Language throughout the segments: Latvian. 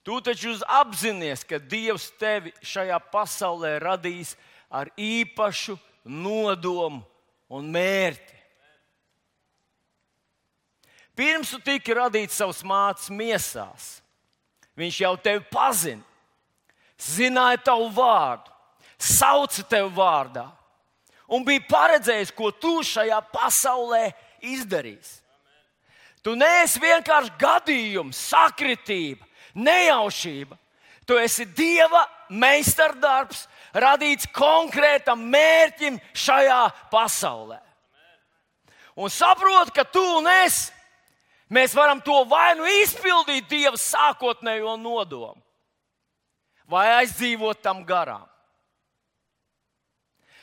Tu taču apzinies, ka Dievs tevi šajā pasaulē radīs ar īpašu nodomu un mērķi. Pirms tu tiki radīts savas mātes miesās, viņš jau tevi pazina, zināja tavu vārdu, sauca tevi vārdā un bija paredzējis, ko tu šajā pasaulē izdarīsi. Tu neesi vienkārši gadījums, sakritība, nejaušība. Tu esi Dieva meistardarbs, radīts konkrētam mērķim šajā pasaulē. Un saproti, ka tu un es, mēs varam to vai nu izpildīt Dieva sākotnējo nodomu, vai aizdzīvot tam garām.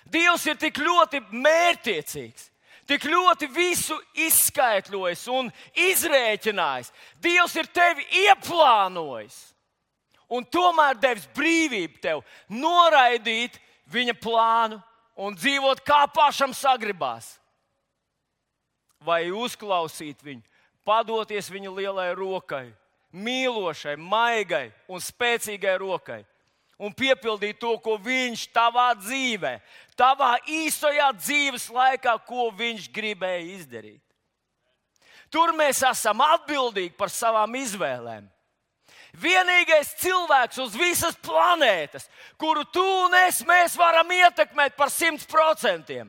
Dievs ir tik ļoti mērķtiecīgs, tik ļoti visu izskaidrojis un izrēķinājis. Dievs ir tevi ieplānojis un tomēr devis brīvību tev noraidīt viņa plānu un dzīvot kā pašam sagribās. Vai uzklausīt viņu, padoties viņa lielai rokai, mīlošai, maigai un spēcīgai rokai. Un piepildīt to, ko viņš tavā dzīvē, tavā īstajā dzīves laikā, ko viņš gribēja izdarīt. Tur mēs esam atbildīgi par savām izvēlēm. Vienīgais cilvēks uz visas planētas, kuru tu un es mēs varam ietekmēt par 100%.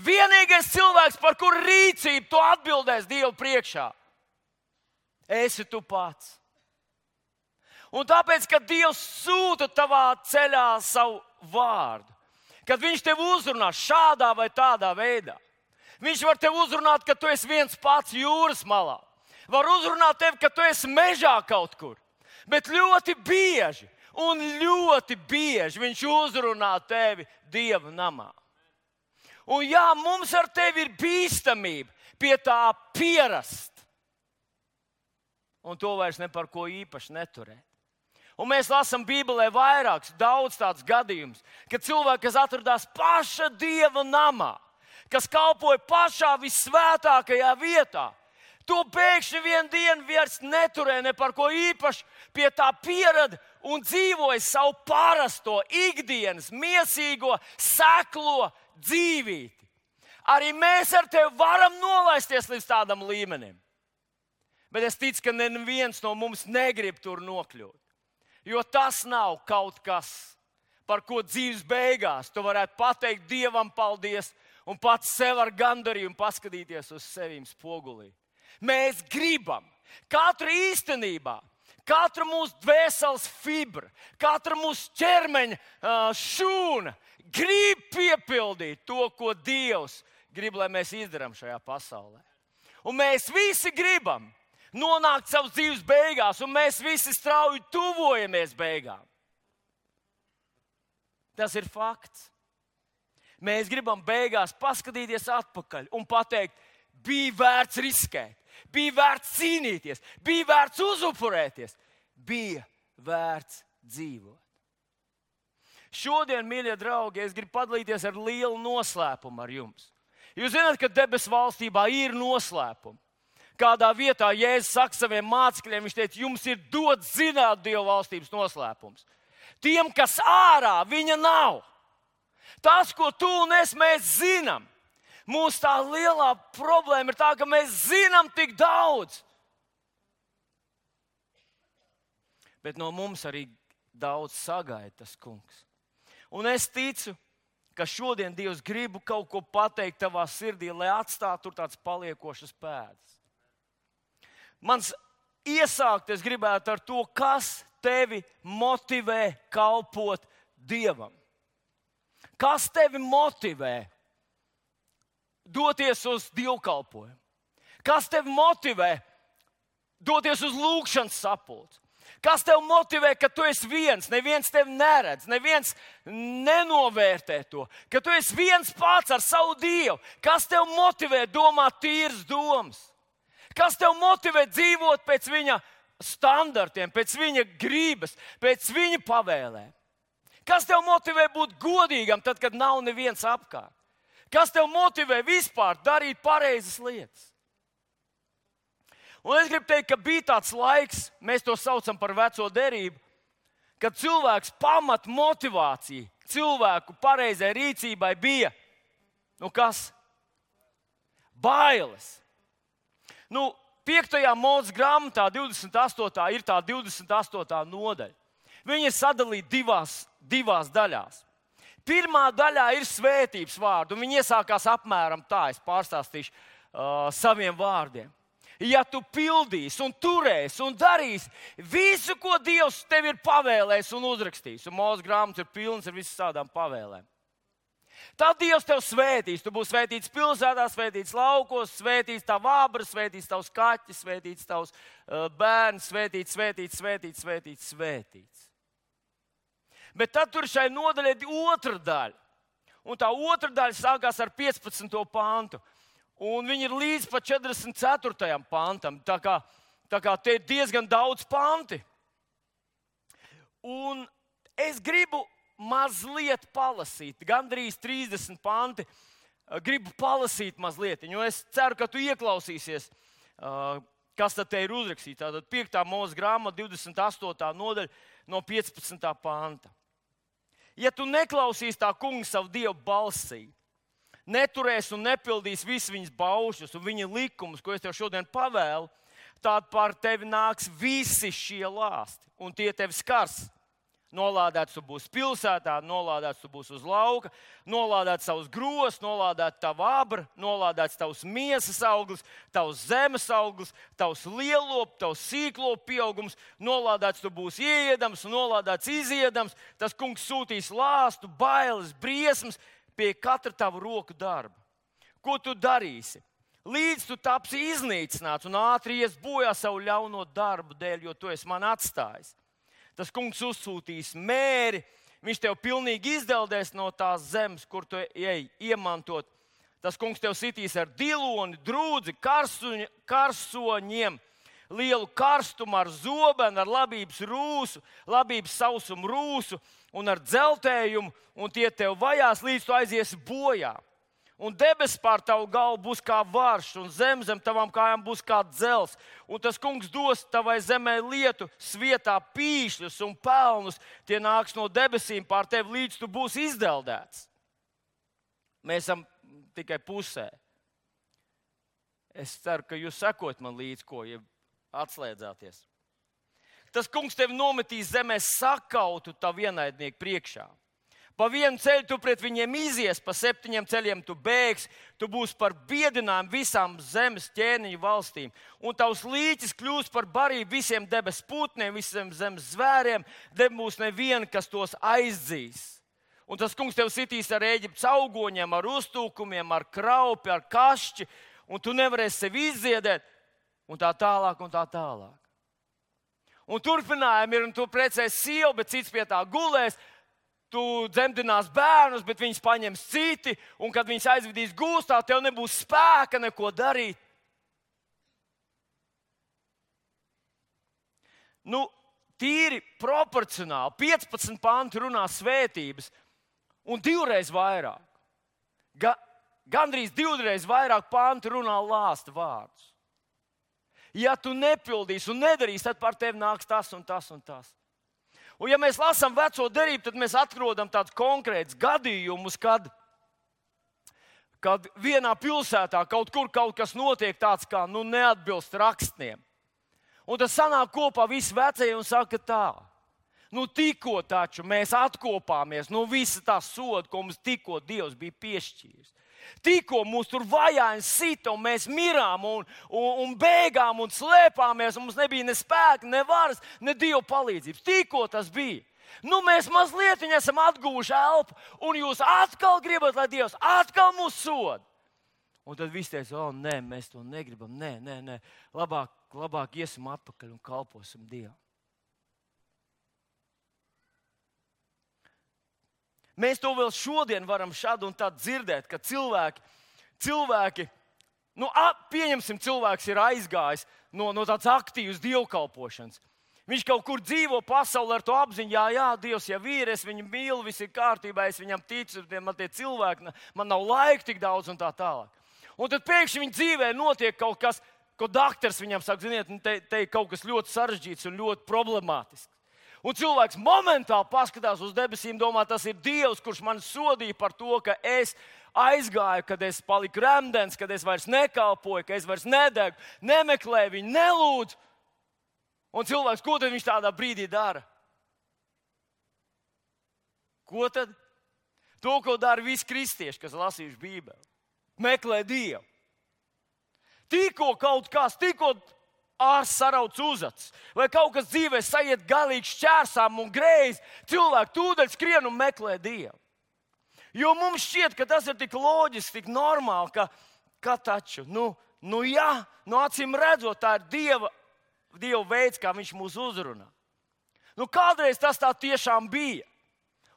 Vienīgais cilvēks, par kuru rīcību tu atbildēsi Dievu priekšā, esi tu pats. Un tāpēc, kad Dievs sūta tavā ceļā savu vārdu, kad viņš tev uzrunā šādā vai tādā veidā, viņš var tev uzrunāt, ka tu esi viens pats jūras malā, var uzrunāt tevi, ka tu esi mežā kaut kur, bet ļoti bieži viņš uzrunā tevi Dieva namā. Un jā, mums ar tevi ir bīstamība pie tā pierast, un to vairs ne par ko īpaši neturēt. Un mēs lasām Bībelē daudz tādus gadījumus, kad cilvēki, kas atradās paša Dieva namā, kas kalpoja pašā visvētākajā vietā, to pēkšņi vienu dienu vairs neturēja ne par ko īpaši, pie tā pierada un dzīvoja savu parasto, ikdienas, miesīgo, seklo dzīvīti. Arī mēs ar tevi varam nolaisties līdz tādam līmenim. Bet es ticu, ka neviens no mums negrib tur nokļūt. Jo tas nav kaut kas, par ko dzīves beigās tu varētu pateikt Dievam paldies un pats sev ar gandarījumu paskatīties uz sevīm spogulī. Mēs gribam katru īstenībā, katru mūsu dvēseles fibra, katru mūsu ķermeņa šūna grib piepildīt to, ko Dievs grib, lai mēs izdarām šajā pasaulē. Un mēs visi gribam nonākt savas dzīves beigās, un mēs visi strauji tuvojamies beigām. Tas ir fakts. Mēs gribam beigās paskatīties atpakaļ un pateikt, bija vērts riskēt, bija vērts cīnīties, bija vērts uzupurēties, bija vērts dzīvot. Šodien, mīļie draugi, es gribu padalīties ar lielu noslēpumu ar jums. Jūs zināt, ka debesu valstībā ir noslēpumi. Kādā vietā Jēzus saka saviem mācekļiem, viņš teica, jums ir dots zināt Dieva valstības noslēpums. Tiem, kas ārā, viņa nav. Tas, ko tu un es mēs zinām, mūsu tā lielā problēma ir tā, ka mēs zinām tik daudz. Bet no mums arī daudz sagaida tas kungs. Un es ticu, ka šodien Dievs grib kaut ko pateikt tavā sirdī, lai atstātu tur tāds paliekošas pēdas. Mans iesākt es gribētu ar to, kas tevi motivē kalpot Dievam. Kas tevi motivē doties uz dievkalpojumu? Kas tevi motivē doties uz lūgšanas sapulci? Kas tevi motivē, ka tu esi viens, neviens tevi neredz, neviens nenovērtē to, ka tu esi viens pats ar savu Dievu? Kas tevi motivē domāt tīras domas? Kas tev motivē dzīvot pēc viņa standartiem, pēc viņa gribas, pēc viņa pavēlēm? Kas tev motivē būt godīgam tad, kad nav neviens apkārt? Kas tev motivē vispār darīt pareizas lietas? Un es gribu teikt, ka bija tāds laiks, mēs to saucam par veco derību, kad cilvēks pamat motivācija cilvēku pareizai rīcībai bija, kas? Bailes. 5. Mūzes grāmatā 28. ir tā 28. nodaļa. Viņa ir sadalīta divās daļās. Pirmā daļā ir svētības vārdi, un viņi iesākās apmēram tā, es pārstāstīšu saviem vārdiem. Ja tu pildīsi un turēsi un darīsi visu, ko Dievs tev ir pavēlējis un uzrakstījis, un Mūzes grāmatas ir pilnas ar visām tādām pavēlēm, tad Dievs tev svētīs. Tu būsi svētīts pilsētā, svētīts laukos, svētīts tavu vābru, svētīts tavs kaķis, svētīts tavs bērns, svētīts. Bet tad tur šai nodaļai ir otra daļa. Un tā otra daļa sākās ar 15. pantu. Un viņi ir līdz pat 44. pantam. Tā kā te ir diezgan daudz panti. Un es gribu mazliet palasīt, gandrīz 30 panti. Gribu palasīt mazliet, jo es ceru, ka tu ieklausīsies, kas tad te ir uzrakstīts. Tātad 5. Mūzes grāmata, 28. nodaļa no 15. panta. Ja tu neklausīsi tā kunga savu Dievu balsī, neturēs un nepildīs visus viņas baušļus un viņa likumus, ko es tev šodien pavēlu, tad par tevi nāks visi šie lāsti, un tie tevi skars. Nolādēts tu būsi pilsētā, nolādēts tu būsi uz lauka, nolādēts tavs gros, nolādēts tava abra, nolādēts tavs miesas auglis, tavs zemes auglis, tavs lielop, tavs sīklopu pieaugums, nolādēts tu būsi ieedams, nolādēts iziedams. Tas kungs sūtīs lāstu, bailes, briesmas pie katra tava roku darba. Ko tu darīsi? Līdz tu tapsi iznīcināts un ātri ies bojā savu ļauno darbu dēļ, jo tu esi man atstājis. Tas kungs uzsūtīs mēri, viņš tev pilnīgi izdeldēs no tās zemes, kur tu ej iemantot. Tas kungs tev sitīs ar diloni, drūdzi, karsoņiem, lielu karstumu, ar zobenu, ar labības rūsu, labības sausumu rūsu un ar dzeltējumu, un tie tev vajās, līdz tu aiziesi bojā. Un debesis pār tavu galvu būs kā varš, un zem tavām kājām būs kā dzels. Un tas kungs dos tavai zemē lietu, svietā pīšļus un pelnus. Tie nāks no debesīm pār tevi, līdz tu būsi izdeldēts. Mēs esam tikai pusē. Es ceru, ka jūs sekot man līdz, ja atslēdzāties. Tas kungs tevi nometīs zemē sakautu tavu ienaidnieku priekšā. Pa vienu ceļu tu pret viņiem izies, pa 7 ceļiem tu bēgsi, tu būsi par biedinājumu visām zemes ķēniņu valstīm. Un tavs līķis kļūs par barību visiem debes putniem, visiem zemes zvēriem, nebūs neviena, kas tos aizdzīs. Un tas kungs tev sitīs ar Ēģiptes augoņiem, ar uztūkumiem, ar kraupi, ar kašķi, un tu nevarēsi sevi izdziedēt, un tā tālāk, un tā tālāk. Un turpinājumi ir, un tu precēsi sievu, bet cits pie tā gulēs. Tu dzemdinās bērnus, bet viņus paņems citi, un kad viņus aizvedīs gūstā, tev nebūs spēka neko darīt. Tīri proporcionāli 15 panti runā svētības, un 2 reizes vairāk. Gandrīz 2 reizes vairāk panti runā lāsta vārdus. Ja tu nepildīsi un nedarīsi, tad par tevi nāks tas un tas un tas. Un ja mēs lasām veco derību, tad mēs atrodam tādus konkrētus gadījumus, kad vienā pilsētā kaut kas notiek tāds, kā neatbilst rakstiem. Un tas sanāk kopā visi vecie un saka tā. Tikko taču mēs atkopāmies no visa tā soda, ko mums tikko Dievs bija piešķīris. Tikko mūs tur vajāja sita, un mēs mirām un bēgām un slēpāmies, un mums nebija ne spēka, ne varas, ne Dieva palīdzības. Tikko tas bija. Mēs mazliet esam atguvuši elpu, un jūs atkal gribat, lai Dievs atkal mūs soda. Un tad viss teica, nē, mēs to negribam, nē. Labāk iesim atpakaļ un kalposim Dievam. Mēs to vēl šodien varam šādi un tādi dzirdēt, ka cilvēki, pieņemsim, cilvēks ir aizgājis no tādas aktīvas dievkalpošanas. Viņš kaut kur dzīvo pasaulē ar to apziņu, jā, Dievs jau ir, es viņu mīlu, viss ir kārtībā, es viņam ticu, man tie cilvēki, man nav laika tik daudz un tā tālāk. Un tad pēkšņi viņa dzīvē notiek kaut kas ko doktors viņam saka, ziniet, te ir kaut kas ļoti sarežģīts un ļoti problemātisks. Un cilvēks momentāli paskatās uz debesīm, domā, tas ir Dievs, kurš man sodīja par to, ka es aizgāju, kad es paliku remdens, kad es vairs nekalpoju, ka es vairs nedegu, nemeklēju viņu, nelūdzu. Un cilvēks, ko tad viņš tādā brīdī dara? Ko tad? To, ko dara visi kristieši, kas lasījuši Bībeli. Meklē Dievu. Tikko kaut kas, tikko ārsts sarauc uzacis, vai kaut kas dzīvē sajiet galīgi šķērsām un greizi, cilvēki tūdaļ skrien un meklē Dievu. Jo mums šķiet, ka tas ir tik loģiski, tik normāli, ka taču, acīm redzot, tā ir Dieva veids, kā viņš mūs uzrunā. Kādreiz tas tā tiešām bija.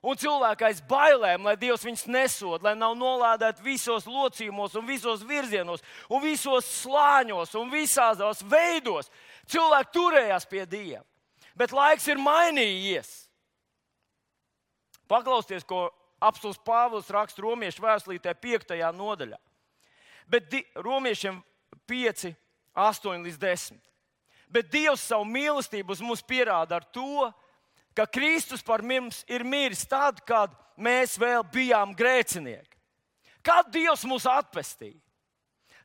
Un cilvēki aiz bailēm, lai Dievs viņus nesod, lai nav nolādēti visos locījumos un visos virzienos un visos slāņos un visādos veidos. Cilvēki turējās pie Dieva. Bet laiks ir mainījies. Paklausieties, ko apostuls Pāvils raksta Romiešu vēstulītē 5. nodaļā. Bet Romiešiem 5, 8 līdz 10. Bet Dievs savu mīlestību uz mums pierāda ar to, ka Kristus par mums ir miris tad, kad mēs vēl bijām grēcinieki. Kad Dievs mūs atpestīja?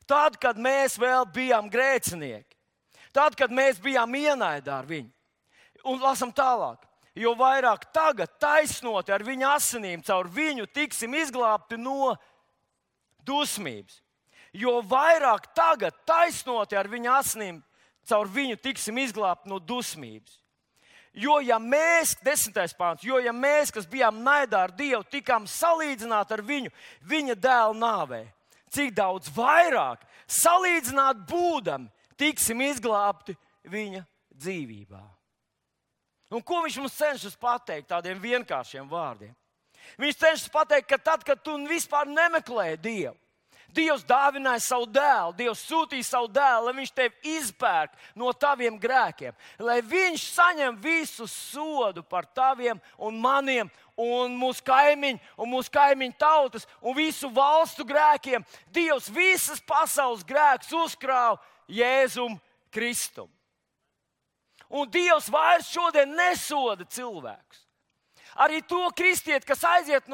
Tad, kad mēs vēl bijām grēcinieki. Tad, kad mēs bijām ienaidā ar viņu. Un lasam tālāk. Jo vairāk tagad taisnoti ar viņa asinīm, caur viņu tiksim izglābti no dusmības. Jo vairāk tagad taisnoti ar viņa asinīm, caur viņu tiksim izglābti no dusmības. Jo ja mēs, 10. pāns, ja mēs, kas bijām naidā ar Dievu, tikām salīdzināti ar viņu, viņa dēla nāvē, cik daudz vairāk salīdzināt būdami, tiksim izglābti viņa dzīvībā. Un ko viņš mums cenšas pateikt tādiem vienkāršiem vārdiem? Viņš cenšas pateikt, ka tad, kad tu vispār nemeklē Dievu, Dievs dāvināja savu dēlu, Dievs sūtīja savu dēlu, lai viņš tevi izpērk no taviem grēkiem, lai viņš saņem visu sodu par taviem un maniem un mūsu kaimiņu tautas un visu valstu grēkiem. Dievs visas pasaules grēkus uzkrāva Jēzum Kristum. Un Dievs vairs šodien nesoda cilvēkus. Arī to kristieti, kas aiziet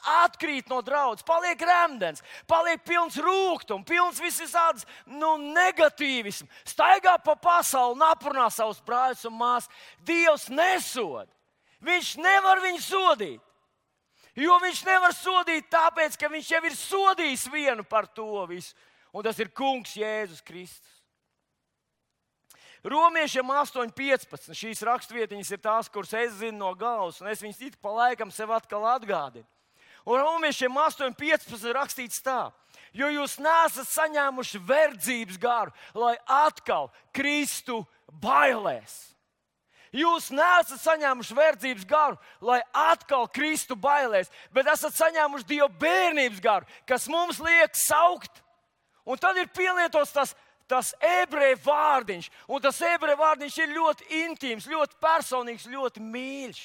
atkrīt no draudzes, paliek remdens, paliek pilns rūgtums, pilns visādas negatīvismu, staigā pa pasauli un aprunā savus brāļus un māsas. Dievs nesoda. Viņš nevar viņu sodīt. Jo viņš nevar sodīt tāpēc, ka viņš jau ir sodījis vienu par to visu. Un tas ir Kungs Jēzus Kristus. Romiešiem 8.15. Šīs rakstvietiņas ir tās, kuras es zinu no galvas, un es viņas it pa laikam sev atkal atgādinu. Un Romiešiem 8.15 rakstīts tā, jo jūs neesat saņēmuši verdzības garu, lai atkal Kristu bailēs. Jūs neesat saņēmuši verdzības garu, lai atkal Kristu bailēs, bet esat saņēmuši Dieva bērnības garu, kas mums liek saukt. Un tad ir pielietots tas ebreju vārdiņš, un tas ebreju vārdiņš ir ļoti intīms, ļoti personīgs, ļoti mīļš.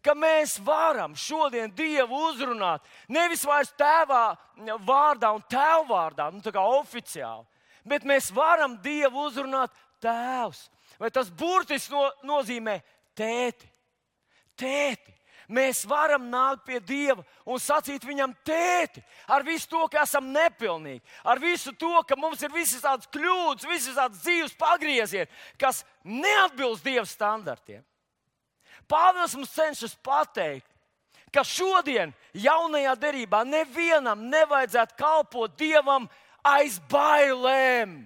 Ka mēs varam šodien Dievu uzrunāt nevis vairs tēvā vārdā un tēva vārdā, tā kā oficiāli, bet mēs varam Dievu uzrunāt tēvs. Vai tas burtiski nozīmē tēti? Tēti. Mēs varam nākt pie Dieva un sacīt viņam tēti ar visu to, ka esam nepilnīgi, ar visu to, ka mums ir visas tādas kļūdas, visas tādas dzīves pagriezieni, kas neatbilst Dieva standartiem. Pāvils mums cenšas pateikt, ka šodien, jaunajā derībā, nevienam nevajadzētu kalpot Dievam aiz bailēm.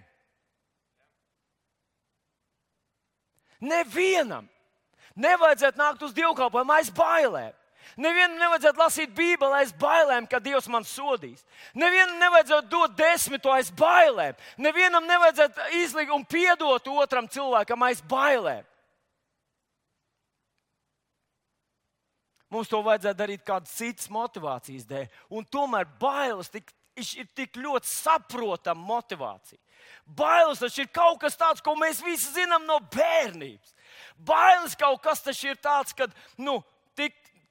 Nevienam nevajadzētu nākt uz dievkalpojumu aiz bailēm. Nevienam nevajadzētu lasīt Bībeli aiz bailēm, ka Dievs man sodīs. Nevienam nevajadzētu dot 10 aiz bailēm. Nevienam nevajadzētu izlikt un piedot otram cilvēkam aiz bailēm. Mums to vajadzētu darīt kādas citas motivācijas dēļ. Un tomēr bailes ir tik ļoti saprotama motivācija. Bailes taču ir kaut kas tāds, ko mēs visi zinām no bērnības. Bailes kaut kas taču ir tāds, ka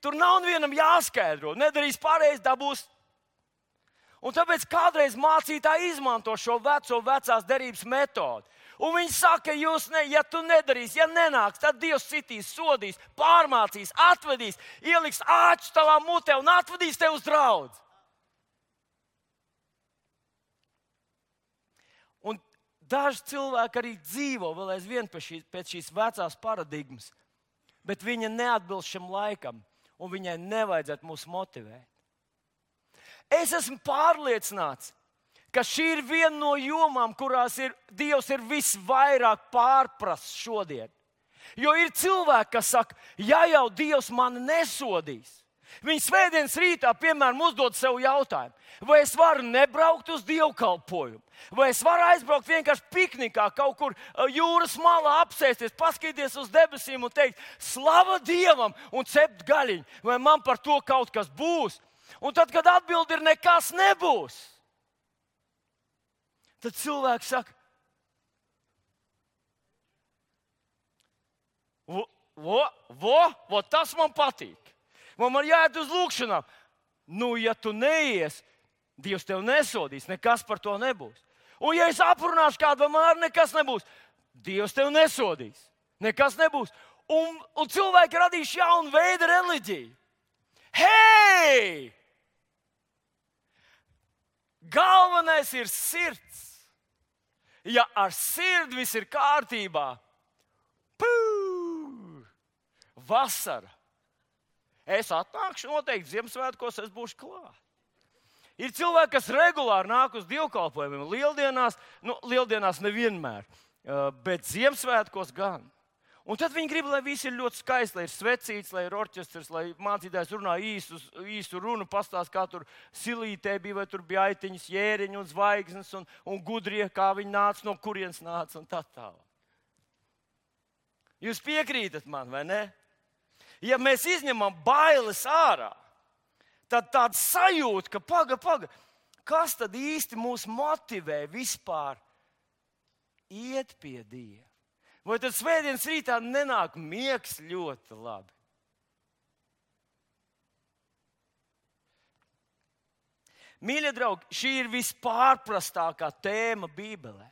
tur nav vienam jāskaidro. Nedarīs pareizi, dabūs. Un tāpēc kādreiz mācītāji izmanto šo vecās derības metodi. Un viņi saka, ja tu nedarīsi, ja nenāks, tad Dievs citīs, sodīs, pārmācīs, atvedīs, ieliks āķus tavā mutē un atvedīs tev uz draudzi. Un daži cilvēki arī dzīvo vēl aizvien pēc šīs vecās paradigmas, bet viņa neatbilst šim laikam, un viņai nevajadzētu mūs motivēt. Es esmu pārliecināts, ka šī ir viena no jomām, kurās Dievs ir visvairāk pārprasts šodien. Jo ir cilvēki, kas saka, ja jau Dievs mani nesodīs, viņi svētdienas rītā, piemēram, uzdod sev jautājumu, vai es varu nebraukt uz dievkalpojumu, vai es varu aizbraukt vienkārši piknikā, kaut kur jūras malā apsēsties, paskatīties uz debesīm un teikt, slava Dievam un cept gaļiņu, vai man par to kaut kas būs. Un tad, kad atbildi ir nekas nebūs, tad cilvēks saka, tas man patīk. Man jāiet uz lūkšanām. Nu, ja tu neies, Dievs tev nesodīs, nekas par to nebūs. Un ja es aprunāšu kādu, vai man arī nekas nebūs, Dievs tev nesodīs, nekas nebūs. Un cilvēki radīšu jaunu veidu reliģiju. Hei! Galvenais ir sirds. Ja ar sirdi viss ir kārtībā, vasara. Es atnākšu noteikti Ziemassvētkos, es būšu klāt. Ir cilvēki, kas regulāri nāk uz dievkalpojumiem. Lieldienās nevienmēr, bet Ziemassvētkos gan. Un tad viņi grib, lai viss ir ļoti skaisti, lai ir svecīts, lai ir orķestrs, lai mācītājs runā īstu runu, pastāst, kā tur silītē bija, vai tur bija aitiņas, jēriņi un zvaigznes un gudrie, kā viņi nāca, no kurienes nāca un tā tālāk. Jūs piekrītat man, vai ne? Ja mēs izņemam bailes ārā, tad tāda sajūta, ka paga, kas tad īsti mūs motivē vispār iet pie Dieva? Vai tad svētdienas rītā nenāk miegs ļoti labi? Mīļie draugi, šī ir vispārprastākā tēma Bībelē.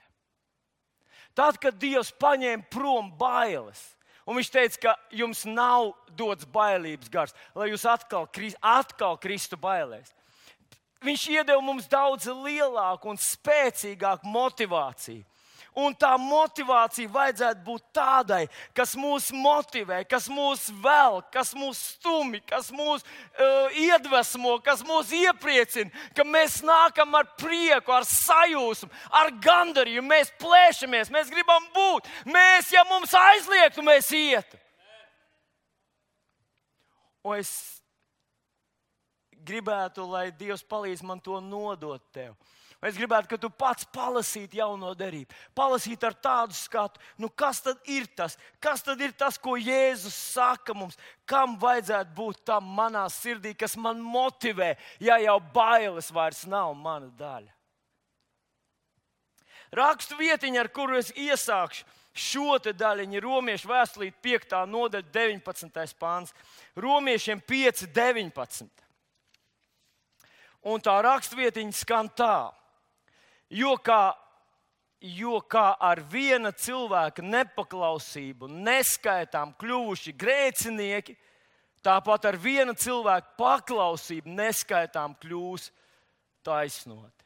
Tad, kad Dievs paņēma prom bailes, un viņš teica, ka jums nav dots bailības gars, lai jūs atkal kristu bailēs. Viņš iedeva mums daudz lielāku un spēcīgāku motivāciju. Un tā motivācija vajadzētu būt tādai, kas mūs motivē, kas mūs velk, kas mūs stumj, kas mūs iedvesmo, kas mūs iepriecina, ka mēs nākam ar prieku, ar sajūsmu, ar gandarījumu, mēs plēšamies, mēs gribam būt. Ja mums aizliegtu, mēs ietu. Un es gribētu, lai Dievs palīdz man to nodot tev. Es gribētu, ka tu pats palasītu jauno derību. Palasītu ar tādu skatu, kas tad ir tas? Kas tad ir tas, ko Jēzus saka mums? Kam vajadzētu būt tam manā sirdī, kas man motivē, ja jau bailes vairs nav mana daļa? Rakstu vietiņa, ar kuru es iesākšu šo te daļiņu, Romiešu vēstulīte 5. nodaļa 19. pāns. Romiešiem 5:19. Un tā rakstvietiņa skan tā. Jo kā ar viena cilvēka nepaklausību neskaitām kļuvuši grēcinieki, tāpat ar viena cilvēka paklausību neskaitām kļūs taisnoti.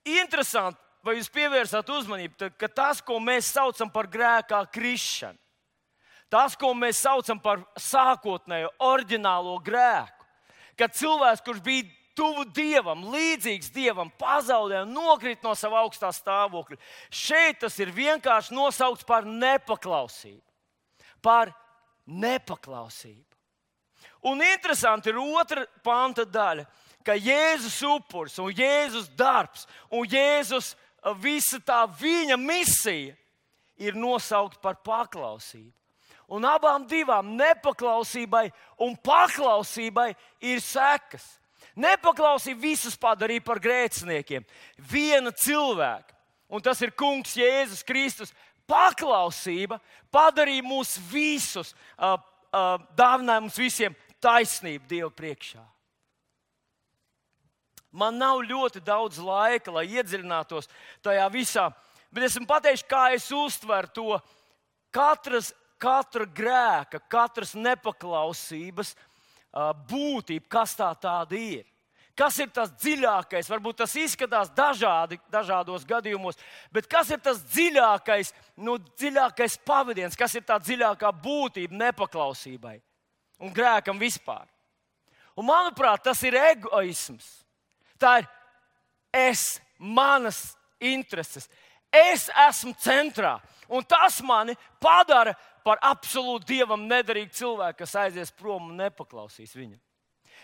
Interesanti, vai jūs pievērsāt uzmanību, ka tas, ko mēs saucam par grēkā krišanu, tas, ko mēs saucam par sākotnējo, oriģinālo grēku, kad cilvēks, kurš bija tuvu Dievam, līdzīgs Dievam, pazaudē un nokrīt no sava augstā stāvokļa. Šeit tas ir vienkārši nosaukts par nepaklausību. Par nepaklausību. Un interesanti ir 2. panta daļa, ka Jēzus upuris un Jēzus darbs un Jēzus visa tā viņa misija ir nosaukt par paklausību. Un abām divām, nepaklausībai un paklausībai, ir sekas. Nepaklausība visus padarīja par grēciniekiem. Viena cilvēka, un tas ir Kungs Jēzus Kristus, paklausība padarīja mūs visus, dāvināja mums visiem taisnību Dievu priekšā. Man nav ļoti daudz laika, lai iedziļinātos tajā visā, bet esmu pateicis, kā es uztveru to katra grēka, katras nepaklausības būtību, kas tā tāda ir. Kas ir tas dziļākais? Varbūt tas izskatās dažādos gadījumos, bet kas ir tas dziļākais pavadiens, kas ir tā dziļākā būtība nepaklausībai un grēkam vispār? Un, manuprāt, tas ir egoisms. Tā ir manas intereses. Es esmu centrā. Un tas mani padara par absolūti Dievam nederīgu cilvēku, kas aizies prom un nepaklausīs viņam.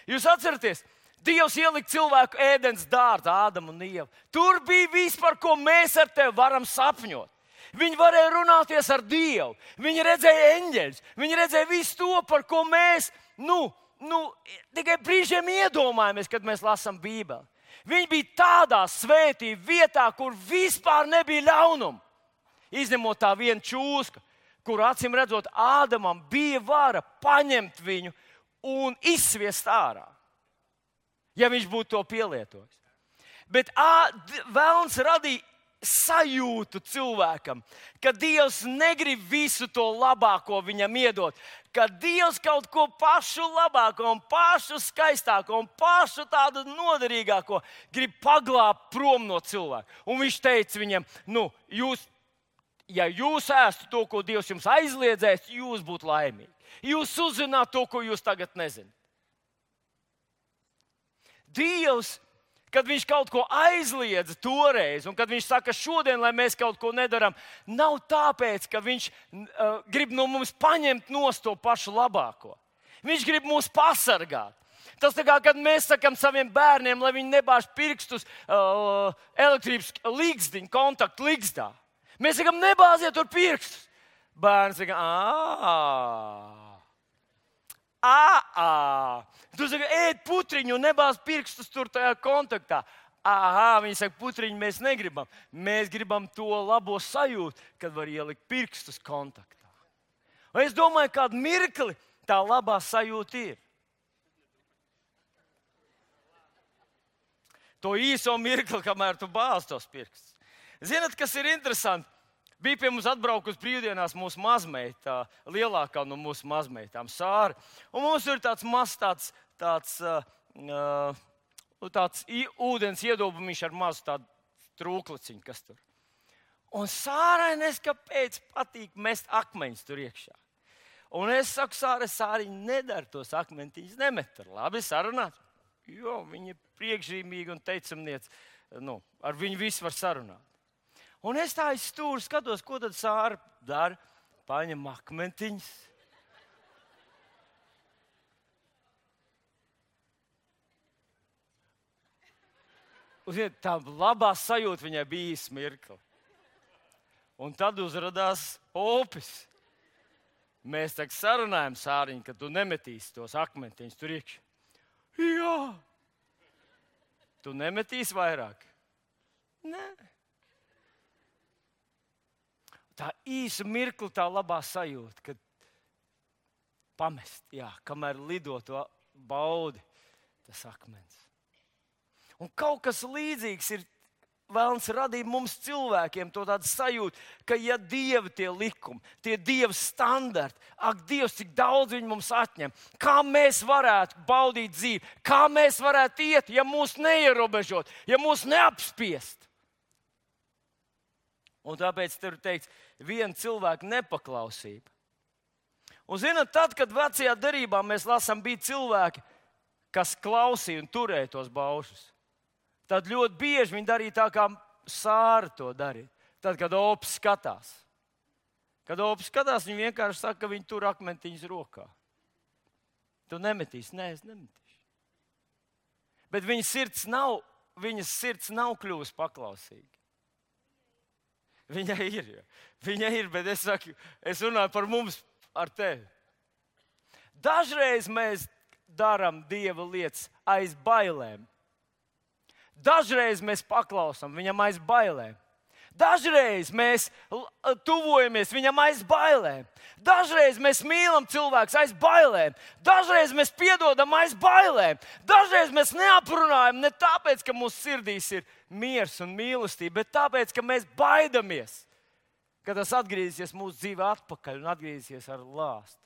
Jūs atceraties? Dievs ielika cilvēku ēdens dārzā, Ādamu un Ievu. Tur bija viss, par ko mēs ar tevi varam sapņot. Viņi varēja runāties ar Dievu. Viņi redzēja eņģeļus. Viņi redzēja visu to, par ko mēs tikai brīžiem iedomājamies, kad mēs lasām Bībeli. Viņi bija tādā svētībā vietā, kur vispār nebija ļaunuma. Izņemot tā vienu čūsku, kur acīm redzot Ādamam bija vara paņemt viņu un izsviest ārā. Ja viņš būtu to pielietojis. Bet Velns radīja sajūtu cilvēkam, ka Dievs negrib visu to labāko viņam iedot, ka Dievs kaut ko pašu labāko un pašu skaistāko un pašu tādu noderīgāko grib paglābt prom no cilvēka. Un viņš teica viņam, ja jūs ēstu to, ko Dievs jums aizliedzēs, jūs būtu laimīgi. Jūs uzzināt to, ko jūs tagad nezināt. Dievs, kad viņš kaut ko aizliedza toreiz, un kad viņš saka šodien, lai mēs kaut ko nedaram, nav tāpēc, ka viņš grib no mums paņemt nost to pašu labāko. Viņš grib mūs pasargāt. Tas tā kā, kad mēs sakam saviem bērniem, lai viņi nebāž pirkstus elektrības ligzdiņu, kontaktu ligzdā. Mēs sakam, nebāziet tur pirkstus. Bērns saka, Tu saki, ēd putriņu un nebāz pirkstus tur tajā kontaktā. Viņi saka, putriņu mēs negribam. Mēs gribam to labo sajūtu, kad var ielikt pirkstus kontaktā. Un es domāju, kādu mirkli tā labā sajūta ir. To īso mirkli, kamēr tu bāz tos pirkstus. Zinat, kas ir interesanti? Bija pie mums atbraukusi brīvdienās mūsu mazmeita, lielākā no mūsu mazmeitām, Sāra. Un mums ir tāds mazs tāds ūdens iedobumiņš ar mazu tādu trūkliciņu, kas tur. Un Sārai neskapēc patīk mest akmeņus tur iekšā. Un es saku, Sāriņ, nedara tos akmentiņus, nemet tur. Labi, sarunāt. Jo, viņa ir priekšzīmīga un teicamniece. Ar viņu visu var sarunāt. Un es tā izstūru skatos, ko tad Sāra dara. Paņem akmentiņus. Tā labā sajūta viņai bija smirkli. Un tad uzradās opis. Mēs tā sarunājam, Sāriņ, ka tu nemetīsi tos akmentiņus tur iekšā. Jā. Tu nemetīsi vairāk? Nē. Tā īsa mirkli, tā labā sajūta, kad pamest, kamēr lido to baudi, tas akmens. Un kaut kas līdzīgs ir Velns radīja mums cilvēkiem to tādu sajūtu, ka ja Dieva tie likumi, tie Dieva standarti, Dievs, cik daudz viņi mums atņem, kā mēs varētu baudīt dzīvi, kā mēs varētu iet, ja mūs neierobežot, ja mūs neapspiest. Un tāpēc tur ir teikts, viena cilvēka nepaklausība. Un zināt, tad, kad vecajā derībā mēs lasām, bija cilvēki, kas klausīja un turēja tos baušus. Tad ļoti bieži viņi darīja tā, kā Sāra to darīja. Tad, kad opis skatās. Kad opis skatās, viņi vienkārši saka, ka viņi tur akmentiņus rokā. Tu nemetīsi? Nē, es nemetīšu. Bet viņas sirds nav kļuvusi paklausīga. Viņai ir, bet es runāju par mums ar tevi. Dažreiz mēs darām Dieva lietas aiz bailēm. Dažreiz mēs paklausām viņam aiz bailēm. Dažreiz mēs tuvojamies viņam aiz bailēm. Dažreiz mēs mīlam cilvēkus aiz bailēm. Dažreiz mēs piedodam aiz bailēm. Dažreiz mēs neaprunājam ne tāpēc, ka mūsu sirdīs ir miers un mīlestība, bet tāpēc, ka mēs baidamies, ka tas atgriezīsies mūsu dzīvē atpakaļ un atgriezīsies ar lāstu.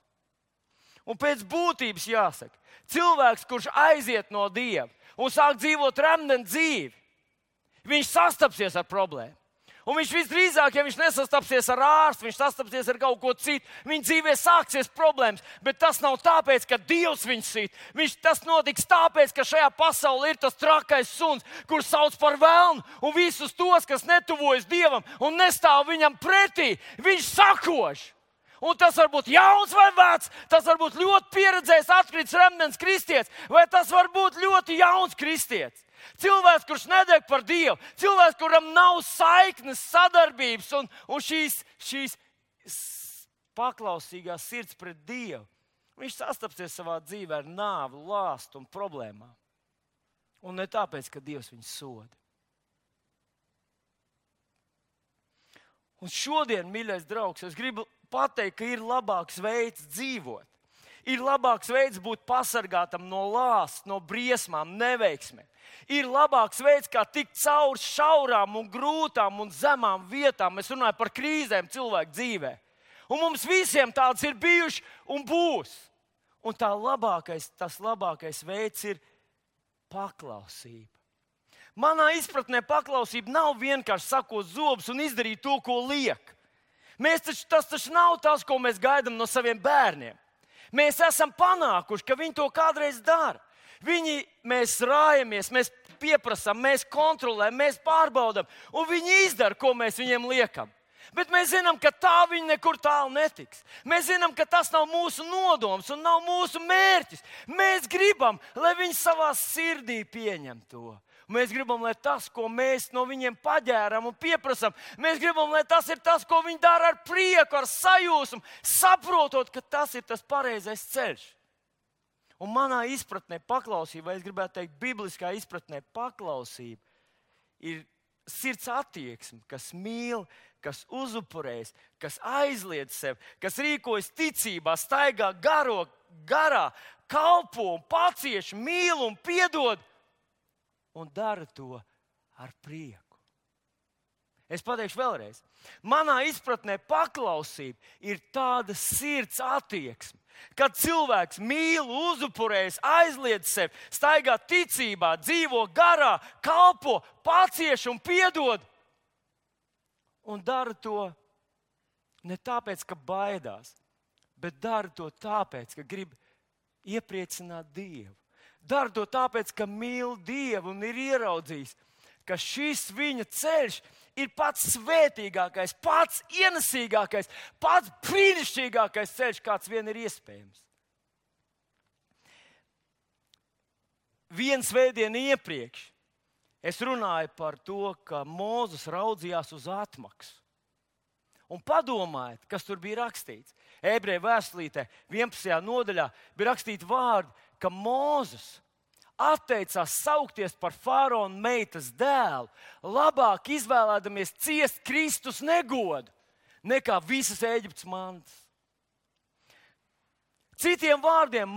Un pēc būtības jāsaka, cilvēks, kurš aiziet no Dieva un sāk dzīvot remdenu dzīvi, viņš sastapsies ar problēmu. Un viņš visdrīzāk, ja viņš nesastapsies ar ārstu, viņš sastapsies ar kaut ko citu, viņa dzīvē sāksies problēmas. Bet tas nav tāpēc, ka Dievs viņu sit. Tas notiks tāpēc, ka šajā pasaulē ir tas trakais suns, kurš sauc par velnu, un visus tos, kas netuvojas Dievam un nestāv viņam pretī, viņš sakož. Un tas var būt jauns vai vecs, tas var būt ļoti pieredzējis, atkritis remdens kristietis, vai tas var būt ļoti jauns kristietis. Cilvēks, kurš nedeg par Dievu, cilvēks, kuram nav saiknes, sadarbības un šīs paklausīgās sirds pret Dievu, viņš sastapsies savā dzīvē ar nāvi, lāstu un problēmām. Un ne tāpēc, ka Dievs viņu soda. Un šodien, mīļais draugs, es gribu pateikt, ka ir labāks veids dzīvot. Ir labāks veids būt pasargātam no lāsta, no briesmām, neveiksmēm. Ir labāks veids, kā tikt cauri šaurām un grūtām un zemām vietām. Es runāju par krīzēm cilvēku dzīvē. Un mums visiem tāds ir bijuši un būs. Un tas labākais veids ir paklausība. Manā izpratnē paklausība nav vienkārši sakot zobus un izdarīt to, ko liek. Tas taču nav tas, ko mēs gaidām no saviem bērniem. Mēs esam panākuši, ka viņi to kādreiz dara. Mēs rājamies, mēs pieprasām, mēs kontrolējam, mēs pārbaudām, un viņi izdara, ko mēs viņiem liekam. Bet mēs zinām, ka tā viņi nekur tālu netiks. Mēs zinām, ka tas nav mūsu nodoms un nav mūsu mērķis. Mēs gribam, lai viņi savā sirdī pieņem to. Mēs gribam, lai tas, ko mēs no viņiem paģēram un pieprasām, mēs gribam, lai tas ir tas, ko viņi dara ar prieku, ar sajūsmu, saprotot, ka tas ir tas pareizais ceļš. Un manā izpratnē paklausība, vai es gribētu teikt, bibliskā izpratnē paklausība ir sirds attieksme, kas mīl, kas uzupurējas, kas aizliedz sevi, kas rīkojas ticībā, staigā garā, kalpo un pacieš, mīl un piedod. Un dara to ar prieku. Es pateikšu vēlreiz. Manā izpratnē paklausība ir tāda sirds attieksme, kad cilvēks mīl, uzupurējas, aizliedz sevi, staigā ticībā, dzīvo garā, kalpo, pacieš un piedod. Un dara to ne tāpēc, ka baidās, bet dara to tāpēc, ka grib iepriecināt Dievu. Dara to tāpēc, ka mīl Dievu un ir ieraudzījis, ka šis viņa ceļš ir pats svētīgākais, pats ienesīgākais, pats brīnišķīgākais ceļš, kāds vien ir iespējams. Viens svētdienu iepriekš es runāju par to, ka Mūzes raudzījās uz atmaksu. Un padomājiet, kas tur bija rakstīts. Ebreju vēstulītē 11. nodaļā bija rakstīti vārdi, ka Mūzes atteicās saukties par faraona meitas dēlu, labāk izvēlēdamies ciest Kristus negodu, nekā visas Ēģiptes mantas. Citiem vārdiem,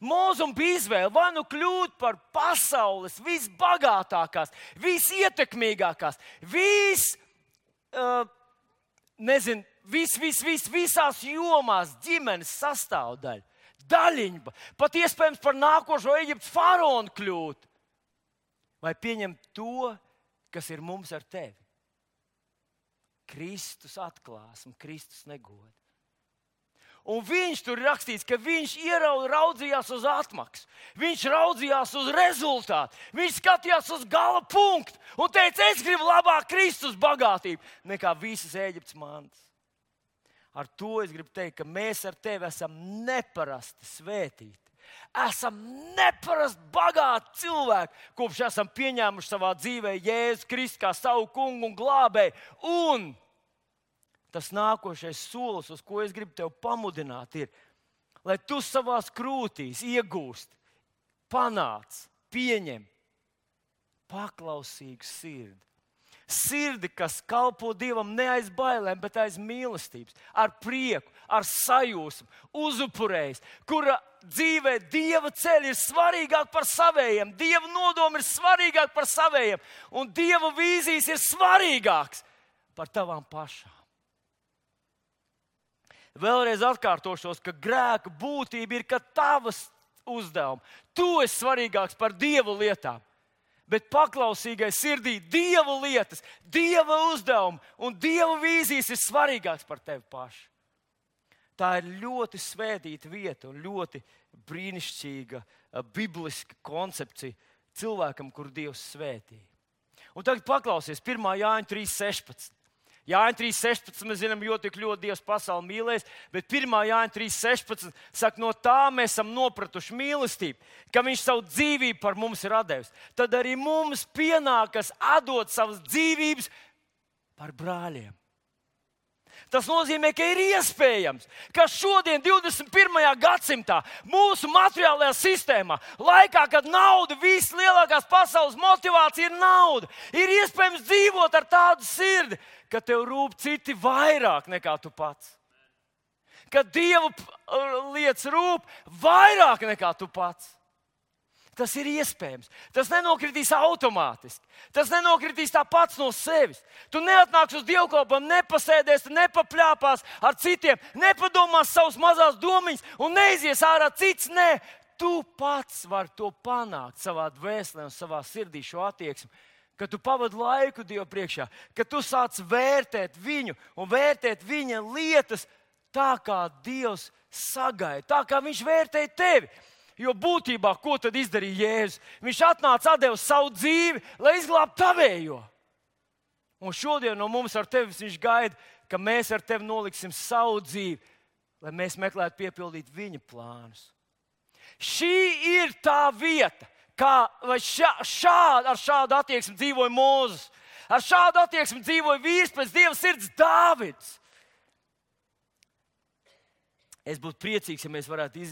Mūzum bija izvēle vai nu kļūt par pasaules visbagātākās, visietekmīgākās, visās jomās ģimenes sastāvdaļa. Daļiņba, pat iespējams par nākošo Ēģiptes faraonu kļūt, vai pieņemt to, kas ir mums ar tevi. Kristus atklāsme, Kristus negoda. Un viņš tur ir rakstīts, ka viņš raudzījās uz atmaksu, viņš raudzījās uz rezultātu, viņš skatījās uz gala punktu un teica, es gribu labāk Kristus bagātību nekā visas Ēģiptes mantas. Ar to es gribu teikt, ka mēs ar tevi esam neparasti svētīti. Esam neparasti bagāti cilvēki, kopš esam pieņēmuši savā dzīvē Jēzu Kristu kā savu kungu un glābēju. Un tas nākošais solis, uz ko es gribu tevi pamudināt, ir, lai tu savās krūtīs iegūst, panāc, pieņem paklausīgu sirdi. sirdi, kas kalpo Dievam ne aiz bailēm, bet aiz mīlestības, ar prieku, ar sajūsmu, uzupurējas, kura dzīvē Dieva ceļi ir svarīgāk par savējiem, Dieva nodomi ir svarīgāk par savējiem, un Dieva vīzijas ir svarīgāks par tavām pašām. Vēlreiz atkārtošos, ka grēka būtība ir, ka tavas uzdevumi, tu esi svarīgāks par Dieva lietām. Bet paklausīgai sirdī Dieva lietas, Dieva uzdevumi un Dieva vīzijas ir svarīgāks par tevi pašu. Tā ir ļoti svētīta vieta un ļoti brīnišķīga bibliska koncepcija cilvēkam, kuru Dievs svētīja. Un tagad paklausies 1. Jāņa 3.16. Jāņa 3.16 mēs zinām, jo tik ļoti Dievs pasauli mīlēs, bet 1. Jāņa 3.16 saka, no tā mēs esam nopratuši mīlestību, ka viņš savu dzīvību par mums ir atdevis. Tad arī mums pienākas atdot savas dzīvības par brāļiem. Tas nozīmē, ka ir iespējams, ka šodien, 21. gadsimtā, mūsu materiālajā sistēmā, laikā, kad nauda, vislielākās pasaules motivācija ir nauda, ir iespējams dzīvot ar tādu sirdi, ka tev rūp citi vairāk nekā tu pats. Ka Dieva lietas rūp vairāk nekā tu pats. Tas ir iespējams. Tas nenokritīs automātiski. Tas nenokritīs tā pats no sevis. Tu neatnāks uz dievkalpojumu, nepasēdēs, nepapļāpās ar citiem, nepadomās savus mazās domiņas un neizies ārā cits. Nē, tu pats vari to panākt savā dvēselē un savā sirdī šo attieksmi. Kad tu pavadi laiku Dievu priekšā, kad tu sāc vērtēt viņu un vērtēt viņa lietas tā, kā Dievs sagaida, tā kā viņš vērtēja tevi. Jo būtībā, ko tad izdarīja Jēzus? Viņš atnāca, atdeva savu dzīvi, lai izglābtu tavējo. Un šodien no mums ar tevi viņš gaida, ka mēs ar tevi noliksim savu dzīvi, lai mēs meklētu piepildīt viņa plānus. Šī ir tā vieta, ar šādu attieksmi dzīvoja Mūzes. Ar šādu attieksmi dzīvoja vīrs pēc Dieva sirds Dāvids. Es būtu priecīgs, ja mēs varētu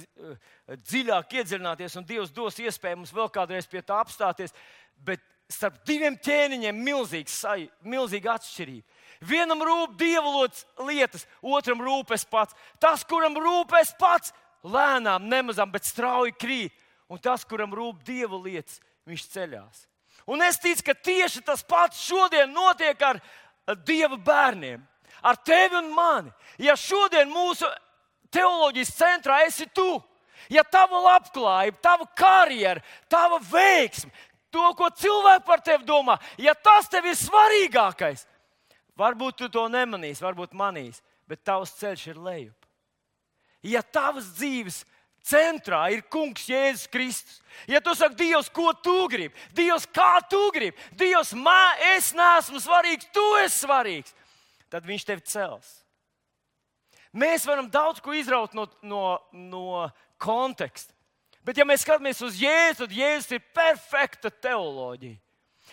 dziļāk iedziļināties, un Dievs dos iespēju mums vēl kādreiz pie tā apstāties. Bet starp diviem ķēniņiem milzīga atšķirība. Vienam rūp Dieva lietas, otram rūp es pats. Tas, kuram rūp es pats, lēnām, nemazām, bet strauji krīt. Un tas, kuram rūp Dieva lietas, viņš ceļās. Un es ticu, ka tieši tas pats šodien notiek ar Dieva bērniem. Ar tevi un mani. Ja šodien mūsu teoloģijas centrā esi tu, ja tava labklājība, tava karjera, tava veiksme, to, ko cilvēki par tevi domā, ja tas tev ir svarīgākais, varbūt tu to nemanīsi, varbūt manīsi, bet tavs ceļš ir lejup. Ja tavas dzīves centrā ir Kungs Jēzus Kristus, ja tu saki, Dievs, ko tu gribi, Dievs, kā tu gribi, Dievs, es neesmu svarīgs, tu esi svarīgs, tad viņš tevi cels. Mēs varam daudz ko izraut no konteksta. Bet ja mēs skatāmies uz Jēzu, tad Jēzus ir perfekta teoloģija.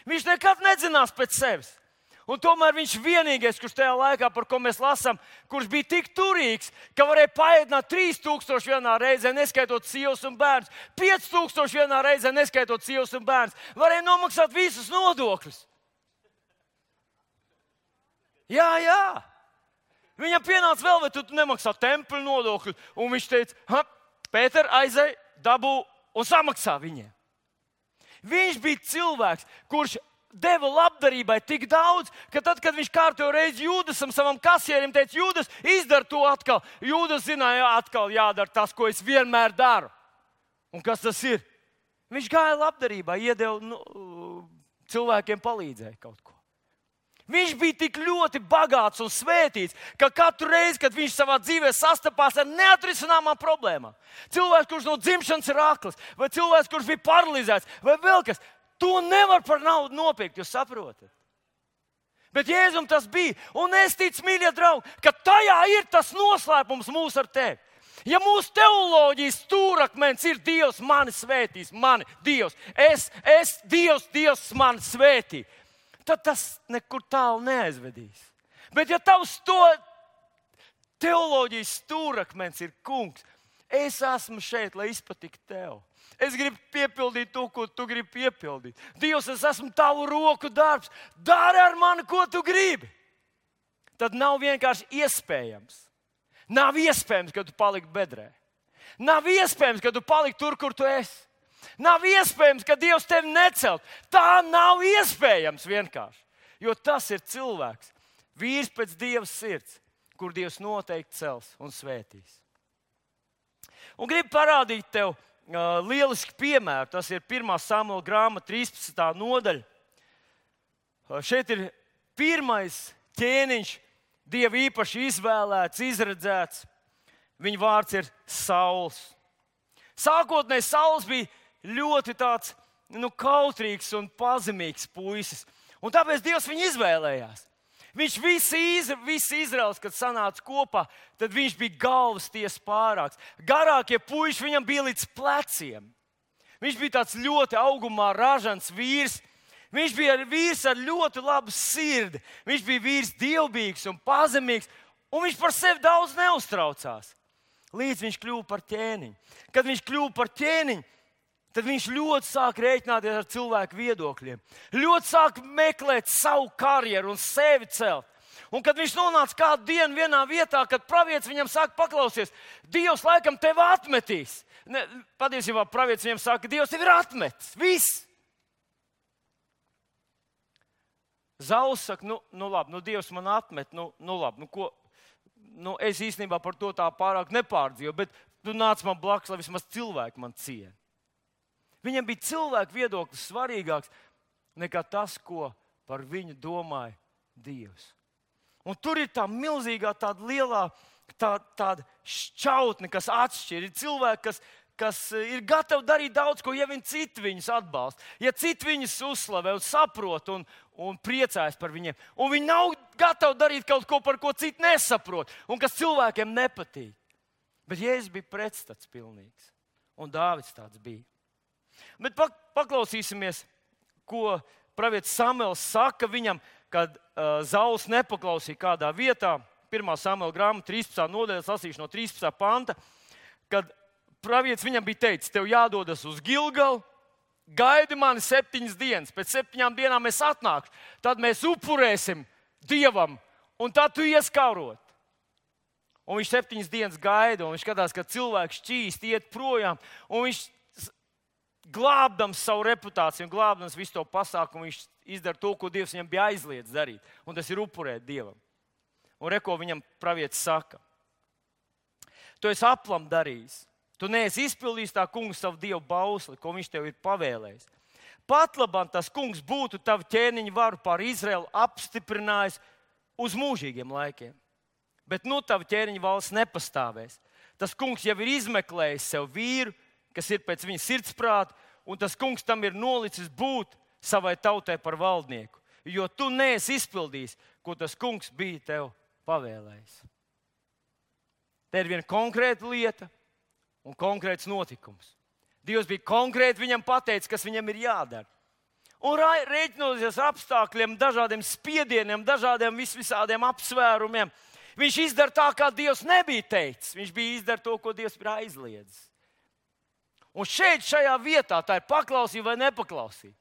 Viņš nekad nedzinās pēc sevis. Un tomēr viņš vienīgais, kurš tajā laikā, par ko mēs lasām, kurš bija tik turīgs, ka varēja paēdināt 3000 vienā reizē, neskaitot sievas un bērnus, 5000 vienā reizē, neskaitot sievas un bērnus, varēja nomaksāt visus nodokļus. Jā. Viņam pienāca vēl, vai tu nemaksā templi nodokļu, un viņš teica, Pēter, aizej, dabū un samaksā viņiem. Viņš bija cilvēks, kurš deva labdarībai tik daudz, ka tad, kad viņš kārtojo reizi Jūdasam, savam kasierim, teica, Jūdas, izdara to atkal. Jūdas zināja, atkal jādara tas, ko es vienmēr daru. Un kas tas ir? Viņš gāja labdarībā, iedeva cilvēkiem palīdzēja kaut ko. Viņš bija tik ļoti bagāts un svētīts, ka katru reizi, kad viņš savā dzīvē sastapās ar neatrisināmām problēmām, cilvēks, kurš no dzimšanas ir akls, vai cilvēks, kurš bija paralizēts, vai vēl kas, to nevar par naudu nopirkt, jūs saprotat? Bet Jēzum tas bija, un es ticu, mīļie draugi, ka tajā ir tas noslēpums mūs ar tevi. Ja mūsu teoloģijas stūrakmens ir Dievs mani svētīs, Dievs, Dievs mani svētī, tad tas nekur tālu neaizvedīs. Bet ja tavs teoloģijas stūrakmens ir Kungs, es esmu šeit, lai izpatiktu tev. Es gribu piepildīt to, ko tu gribi piepildīt. Dievs, es esmu tavu roku darbs. Dari ar mani, ko tu gribi. Tad nav vienkārši iespējams. Nav iespējams, ka tu paliki bedrē. Nav iespējams, ka tu paliki tur, kur tu esi. Nav iespējams, ka Dievs tevi necelt. Tā nav iespējams vienkārši. Jo tas ir cilvēks, vīrs pēc Dieva sirds, kur Dievs noteikti cels un svētīs. Un gribu parādīt tev lielisku piemēru. Tas ir 1. Samuela grāmata, 13. nodaļa. Šeit ir pirmais ķēniņš, Dieva īpaši izvēlēts, izredzēts. Viņa vārds ir Sauls. Sākotnēji Sauls bija ļoti tāds kautrīgs un pazemīgs puisis. Un tāpēc Dievs viņu izvēlējās. Viņš visi Izraels, kad sanāca kopā, tad viņš bija galvas tiesa pārāks. Garākie puiši viņam bija līdz pleciem. Viņš bija tāds ļoti augumā ražants vīrs. Viņš bija vīrs ar ļoti labu sirdi. Viņš bija vīrs dievbijīgs un pazemīgs, un viņš par sevi daudz neuztraucās. Līdz viņš kļuva par ķēniņu. Kad viņš kļuva par ķēniņu, tad viņš ļoti sāk rēķināties ar cilvēku viedokļiem. Ļoti sāk meklēt savu karjeru un sevi celt. Un kad viņš nonāca kādu dienu vienā vietā, kad pravietis viņam saka, paklausies, Dievs laikam tevi atmetīs. Patiesībā pravietis viņam saka, Dievs tevi ir atmetis. Viss. Sauls saka, labi, Dievs man atmet, labi, ko? Es īstenībā par to tā pārāk nepārdzīvoju, bet tu nāc man blakus, lai vismaz cilvēki man ciena. Viņam bija cilvēku viedoklis svarīgāks nekā tas, ko par viņu domāja Dievs. Un tur ir tā milzīgā, tāda lielā tāda šķautne, kas atšķir. Ir cilvēki, kas ir gatavi darīt daudz ko, ja viņi citi viņus atbalsta. Ja citi viņus uzslavē un saprot un priecājas par viņiem. Un viņi nav gatavi darīt kaut ko, par ko citi nesaprot un kas cilvēkiem nepatīk. Bet Jēzus bija pretstats pilnīgs. Un Dāvids tāds bija. Bet paklausīsimies, ko pravietis Samuels saka viņam, kad Sauls nepaklausīja kādā vietā. 1. Samuela grāmata, 13. nodaļa, lasīšu no 13. panta, kad pravietis viņam bija teicis, tev jādodas uz Gilgalu, gaidi mani 7 dienas, pēc 7 dienām es atnākšu, tad mēs upurēsim Dievam, un tad tu ies karot. Un viņš 7 dienas gaida, un viņš skatās, ka cilvēks šķīst, iet projām, un viņš glābdams savu reputāciju un glābdams visu to pasākumu, viņš izdara to, ko Dievs viņam bija aizliedz darīt, un tas ir upurēt Dievam. Un ko viņam pravietis saka? Tu esi aplam darījis. Tu neesi izpildījis tā kungs savu Dievu bausli, ko viņš tev ir pavēlējis. Pat labam tas kungs būtu tavu ķēniņu varu pār Izraelu apstiprinājis uz mūžīgiem laikiem. Bet tavu ķēniņu valsts nepastāvēs. Tas kungs jau ir izmeklējis sev vīru, kas ir pēc viņa sirdsprāta, un tas kungs tam ir nolicis būt savai tautai par valdnieku. Jo tu neesi izpildījis, ko tas kungs bija tev pavēlējis. Te ir viena konkrēta lieta un konkrēts notikums. Dievs bija konkrēti viņam pateicis, kas viņam ir jādara. Un rēķinoties ar apstākļiem, dažādiem spiedieniem, dažādiem visādiem apsvērumiem, viņš izdara tā, kā Dievs nebija teicis. Viņš bija izdara to, ko Dievs ir aizliedzis. Un šeit, šajā vietā, tā ir paklausība vai nepaklausība.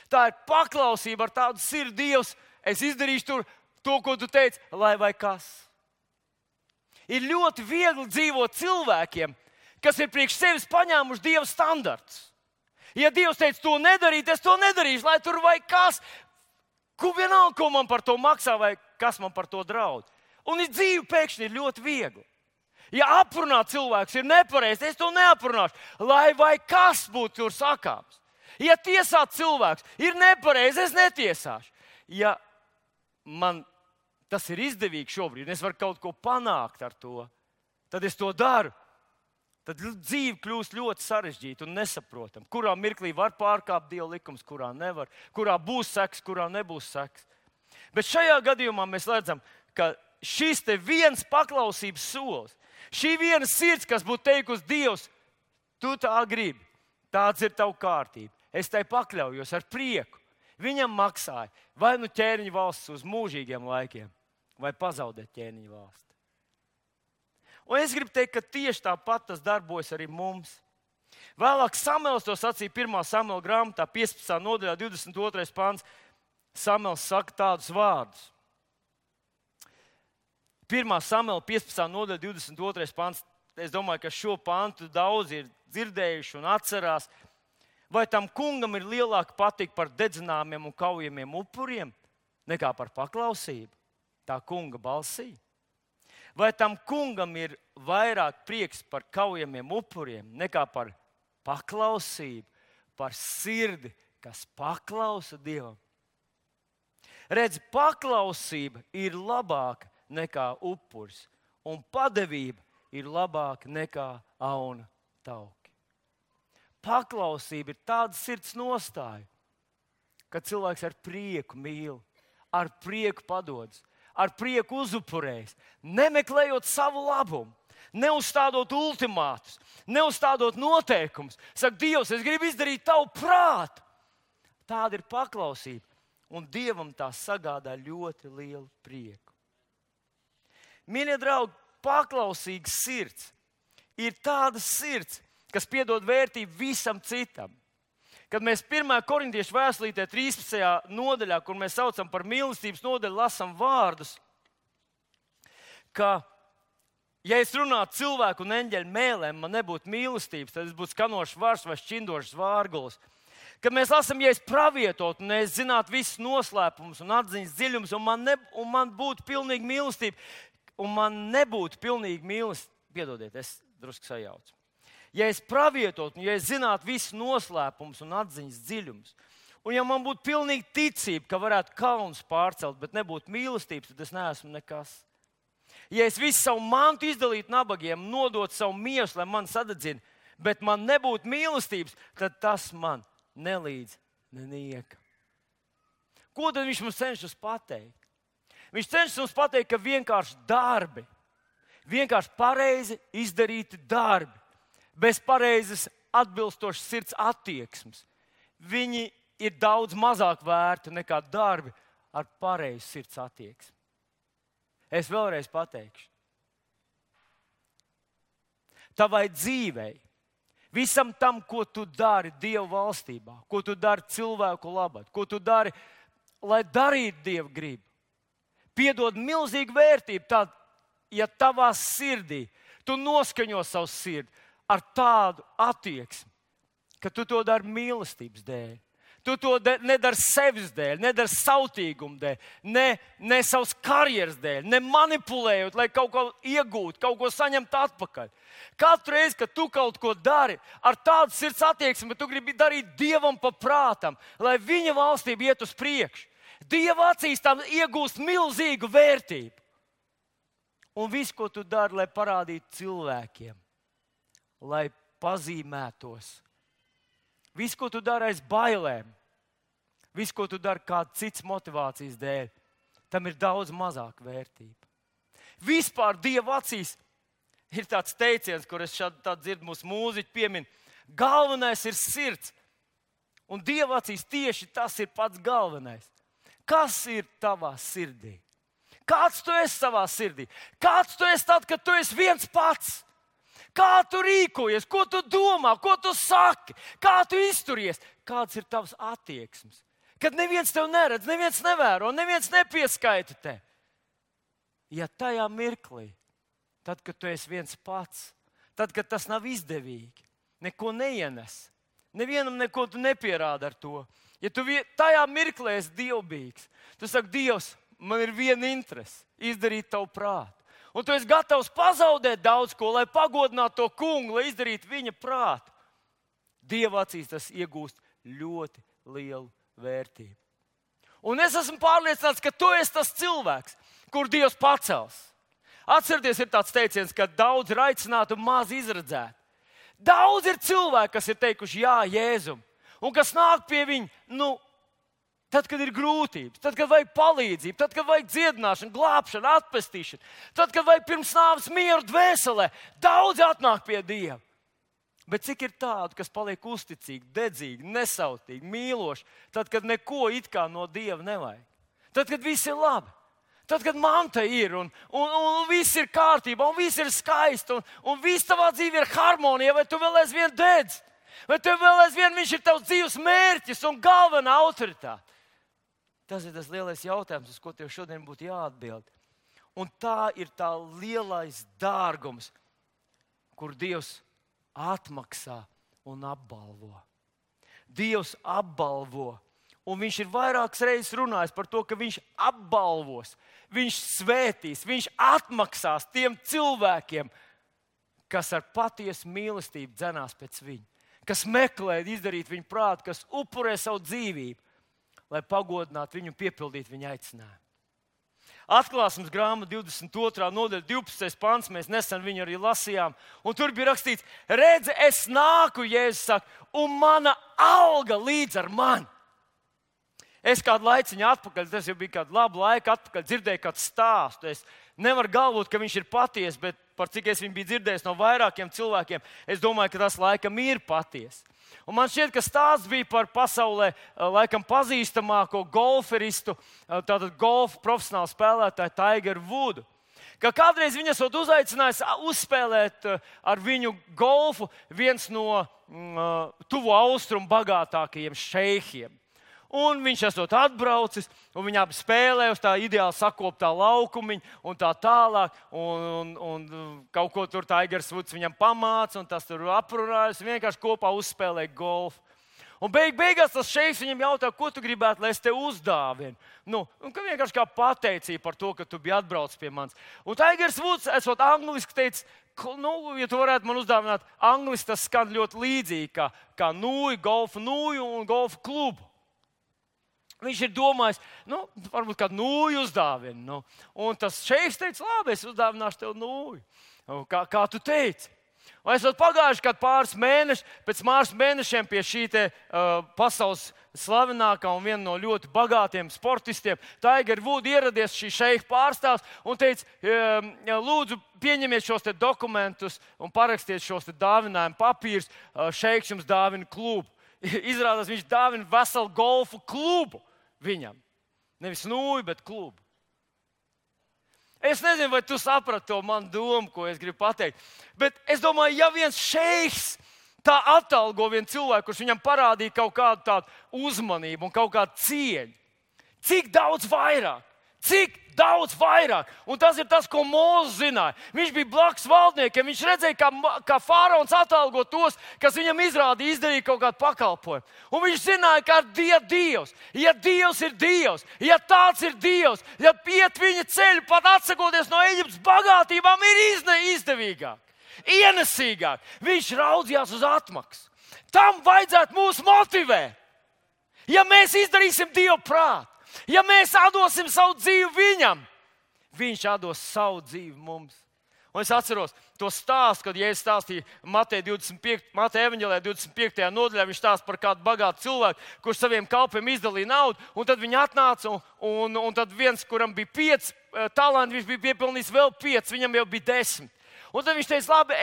Tā ir paklausība ar tādu sirdi, Dievs, es izdarīšu tur to, ko tu teici, lai vai kas. Ir ļoti viegli dzīvot cilvēkiem, kas ir priekš sevis paņēmuši Dieva standartus. Ja Dievs teica to nedarīt, es to nedarīšu, lai tur vai kas. Vienalga, ko man par to maksā vai kas man par to draud. Un dzīve pēkšņi ir ļoti viegli. Ja aprunāt cilvēks ir nepareizi, es to neaprunāšu, lai vai kas būtu tur sakāms. Ja tiesāt cilvēks ir nepareizi, es netiesāšu. Ja man tas ir izdevīgi šobrīd, un es varu kaut ko panākt ar to, tad es to daru. Tad dzīve kļūst ļoti sarežģīta un nesaprotama. Kurā mirklī var pārkāpt Dieva likums, kurā nevar, kurā būs seks, kurā nebūs seks. Bet šajā gadījumā mēs redzam, ka šis te viens paklausības solis, šī viena sirds, kas būtu teikusi, Dievs, tu tā gribi, tāds ir tava kārtība. Es tai pakļaujos ar prieku. Viņam maksāja vai ķēniņa valsts uz mūžīgiem laikiem, vai pazaudēt ķēniņa valsti. Un es gribu teikt, ka tieši tāpat tas darbojas arī mums. Vēlāk Samuels to sacīja 1. Samuela grāmatā, 15. nodaļā, 22. pants. Samuels saka tādus vārdus. 1. Samuela 15. nodaļa, 22. pants. Es domāju, ka šo pantu daudzi ir dzirdējuši un atcerās. Vai tam kungam ir lielāka patika par dedzināmiem un kaujamiem upuriem nekā par paklausību tā kunga balsī? Vai tam kungam ir vairāk prieks par kaujamiem upuriem nekā par paklausību, par sirdi, kas paklausa Dievam? Redz, paklausība ir labāka nekā upuris, un padevība ir labāka nekā auna tauki. Paklausība ir tāda sirds nostāja, ka cilvēks ar prieku mīl, ar prieku padodas, ar prieku uzupurējas, nemeklējot savu labumu, neuzstādot ultimātus, neuzstādot noteikumus. Saka, Dievs, es gribu izdarīt tavu prātu. Tāda ir paklausība, un Dievam tā sagādā ļoti lielu prieku. Mīļie draugi, paklausīga sirds ir tāda sirds, kas piedod vērtību visam citam. Kad mēs 1. Korintiešu vēstulītē 13. nodaļā, kur mēs saucam par mīlestības nodaļu, lasām vārdus, ka, ja es runātu cilvēku un eņģeļu mēlēm, man nebūtu mīlestības, tad es būtu skanošs vars vai šķindošs vārgulis. Kad mēs lasām, ja es pravietotu un es zinātu visus noslēpumus un atziņas dziļumus, un man būtu pilnīga mīlestība, un man nebūtu pilnīga mīlestība, piedodiet, es drusku sajaucu. Ja es pravietotu, un ja es zinātu visus noslēpumus un atziņas dziļumus, un ja man būtu pilnīga ticība, ka varētu kalnus pārcelt, bet nebūtu mīlestības, tad es neesmu nekas. Ja es visu savu mantu izdalītu nabagiem, nodot savu miesu, lai man sadedzina, bet man nebūtu mīlestības, tad tas man nelīdz nenieka. Ko tad viņš mums cenšas pateikt? Viņš cenšas mums pateikt, ka vienkārši darbi, vienkārši pareizi izdarīti darbi, bez pareizes atbilstošas sirds attieksmes, viņi ir daudz mazāk vērti nekā darbi ar pareizu sirds attieksmi. Es vēlreiz pateikšu. Tavai dzīvei, visam tam, ko tu dari Dieva valstībā, ko tu dari cilvēku labad, ko tu dari, lai darītu Dieva gribu, piedod milzīgu vērtību. Tad, ja tavā sirdī tu noskaņo savu sirdi ar tādu attieksmi, ka tu to dari mīlestības dēļ, tu to nedari sevis dēļ, nedari sautīguma dēļ, ne savas karjeras dēļ, ne manipulējot, lai kaut ko iegūtu, kaut ko saņemtu atpakaļ. Katru reizi, kad tu kaut ko dari ar tādu sirds attieksmi, ka tu gribi darīt Dievam pa prātam, lai viņa valstība iet uz priekšu, Dieva acīs tam iegūst milzīgu vērtību. Un viss, ko tu dari, lai parādītu cilvēkiem, lai pazīmētos, viss, ko tu dari aiz bailēm, viss, ko tu dari kāda cits motivācijas dēļ, tam ir daudz mazāk vērtība. Vispār Dieva acīs ir tāds teiciens, kur es šādi dzirdu mūsu mūziķi piemin. Galvenais ir sirds. Un Dieva acīs tieši tas ir pats galvenais. Kas ir tavā sirdī? Kāds tu esi savā sirdī? Kāds tu esi tad, kad tu esi viens pats? Kā tu rīkojies, ko tu domā, ko tu saki, kā tu izturies? Kāds ir tavs attieksmes? Kad neviens tev neredz, neviens nevēro, neviens nepieskaita te. Ja tajā mirklī, tad, kad tu esi viens pats, tad, kad tas nav izdevīgi, neko neienes, nevienam neko tu nepierādi ar to. Ja tu tajā mirklī esi dievbijīgs, tu saki, Dievs, man ir viena interese – izdarīt tavu prātu. Un tu esi gatavs pazaudēt daudz ko, lai pagodinātu to kungu, lai izdarītu viņa prātu. Dieva acīs tas iegūst ļoti lielu vērtību. Un es esmu pārliecināts, ka tu esi tas cilvēks, kur Dievs pacels. Atcerieties, ir tāds teiciens, ka daudz ir aicināti un maz izredzēti. Daudz ir cilvēki, kas ir teikuši jā Jēzum, un kas nāk pie viņa, tad, kad ir grūtības, tad, kad vajag palīdzību, tad, kad vajag dziedināšanu, glābšanu, atpestīšanu, tad, kad vajag pirms nāves mieru dvēselē, daudz atnāk pie Dieva. Bet cik ir tādu, kas paliek uzticīgi, dedzīgi, nesautīgi, mīloši, tad, kad neko it kā no Dieva nevajag? Tad, kad viss ir labi, Tad, kad manta ir un viss ir kārtībā, un viss ir skaisti, un viss tavā dzīvē ir harmonija, vai tu vēl aizvien dedz? Vai tev vēl aizvien viņš ir tavs dzīves mērķis un galvenā autoritāte? Tas ir tas lielais jautājums, uz ko tev šodien būtu jāatbild. Un tā ir tā lielais dārgums, kur Dievs atmaksā un apbalvo. Dievs apbalvo. Un viņš ir vairākas reizes runājis par to, ka viņš apbalvos, viņš svētīs, viņš atmaksās tiem cilvēkiem, kas ar patiesu mīlestību dzenās pēc viņa, kas meklē izdarīt viņa prātu, kas upurē savu dzīvību, lai pagodinātu viņu un piepildītu viņa aicinājumu. Atklāsmes grāmata 22. nodaļa, 12. pants, mēs nesen viņu arī lasījām, un tur bija rakstīts: redzi, es nāku, Jēzus saka, un mana alga līdz ar mani. Es kādu laiciņu atpakaļ, tas jau bija kādu labu laiku atpakaļ, dzirdēju kādu stāstu. Es nevaru galvot, ka viņš ir patiess, bet par cik es viņu biju dzirdējis no vairākiem cilvēkiem, es domāju, ka tas laikam ir patiess. Un man šķiet, ka stāsts bija par pasaulē laikam pazīstamāko golferistu, tātad golfa profesionālu spēlētāju Tigeru Vudu. Ka kādreiz viņu esot uzaicinājis uzspēlēt ar viņu golfu viens no tuvo austrumu bagātākajiem šeihiem. Un viņš esot atbraucis, un viņi abi spēlē uz tā ideāli sakoptā laukumiņa un tā tālāk. Un kaut ko tur Tigers Vuds viņam pamāca, un tas tur aprunājas, vienkārši kopā uzspēlē golfu. Un beigās tas šeiks viņam jautā, ko tu gribētu, lai es tev uzdāvinu. Un ka vienkārši kā pateicība par to, ka tu biji atbraucis pie manis. Un Tigers Vuds, esot angliski teicis, ja tu varētu man uzdāvināt, angliski tas skan ļoti līdzīgi kā nūju, golfa nūju un golfa klubu. Viņš ir domājis, varbūt kādu nūju uzdāvinu. Un tas šeiks teica, labi, es uzdāvināšu tev nūju. Kā tu teici? Un esot pagājuši kādu pāris mēnešus, pēc pāris mēnešiem pie šī pasaules slavenākā un viena no ļoti bagātiem sportistiem, Tiger Wood, ieradies šī šeiha pārstāvs un teica, lūdzu, pieņemiet šos dokumentus un parakstiet šos dāvinājumu papīrus, šeiks jums dāvina klubu. Izrādās, viņš dāvina veselu golfu klubu viņam. Nevis nūju, bet klubu. Es nezinu, vai tu saprati to manu domu, ko es gribu pateikt. Bet es domāju, ja viens šeiks tā atalgo vienu cilvēku, kurš viņam parādīja kaut kādu tādu uzmanību un kaut kādu cieņu, cik daudz vairāk? Cik daudz vairāk? Un tas ir tas, ko Mūzes zināja. Viņš bija blakus valdniekiem. Viņš redzēja, kā faraons atalgo tos, kas viņam izdarīja kaut kādu pakalpojumu. Un viņš zināja, ka Dievs, ja Dievs ir Dievs, ja tāds ir Dievs, ja iet viņa ceļu, pat atsakoties no Eģiptes bagātībām, ir izdevīgāk, ienesīgāk. Viņš raudzījās uz atmaksu. Tam vajadzētu mūs motivēt. Ja mēs izdarīsim Dievu prātu, ja mēs atdosim savu dzīvi viņam, viņš atdos savu dzīvi mums. Un es atceros to stāstu, kad Jēzus stāstīja Mateja evaņģēlijā 25. nodaļā. Viņš stāsta par kādu bagātu cilvēku, kurš saviem kalpiem izdalīja naudu. Un tad viņi atnāca, un tad viens, kuram bija 5 talanti, viņš bija piepelnījis vēl 5, viņam jau bija 10. Un tad viņš teica, labi,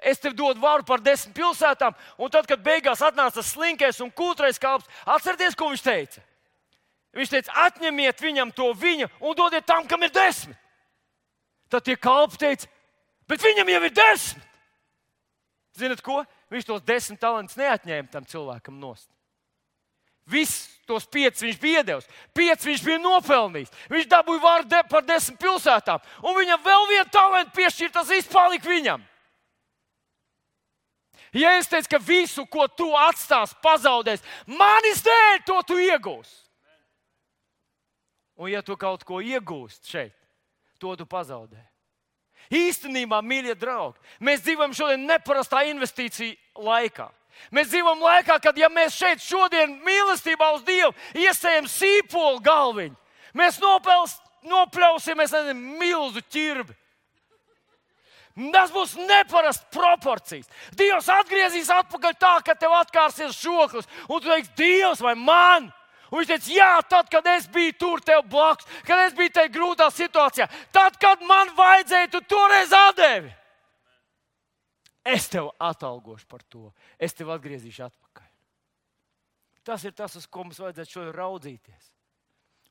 es tev dodu varu par 10 pilsētām. Un tad, kad beigās atnāca tas slinkais un kūtrais kalps, atcerieties, ko viņš teica? Viņš teica, atņemiet viņam to viņa un dodiet tam, kam ir 10. Tad tie kalpi teica, bet viņam jau ir 10. Zinat ko? Viņš tos 10 talantus neatņēma tam cilvēkam nost. Viss tos 5 viņš bija iedevis, 5 viņš bija nopelnījis. Viņš dabūja varu par 10 pilsētām, un viņam vēl vienu talantu piešķirt, tas viss palika viņam. Ja es teicu, ka visu, ko tu atstās, pazaudēs, manis dēļ to tu iegūsi. Un ja tu kaut ko iegūst šeit, to tu pazaudē. Īstenībā, mīļie draugi, mēs dzīvojam šodien neparastā investīcija laikā. Mēs dzīvojam laikā, kad ja mēs šeit šodien mīlestībā uz Dievu iesējam sīpolu galviņu, mēs nopļausim, milzu ķirbi. Tas būs neparasts proporcijas. Dievs atgriezīs atpakaļ tā, ka tev atkārsies žoklis, un tu teiksi, Dievs vai man? Un viņš teica, jā, tad, kad es biju tur tev blakus, kad es biju tajā grūtā situācijā, tad, kad man vajadzēja, tu toreiz atdevi. Es tev atalgošu par to. Es tev atgriezīšu atpakaļ. Tas ir tas, uz ko mums vajadzētu šodien raudzīties.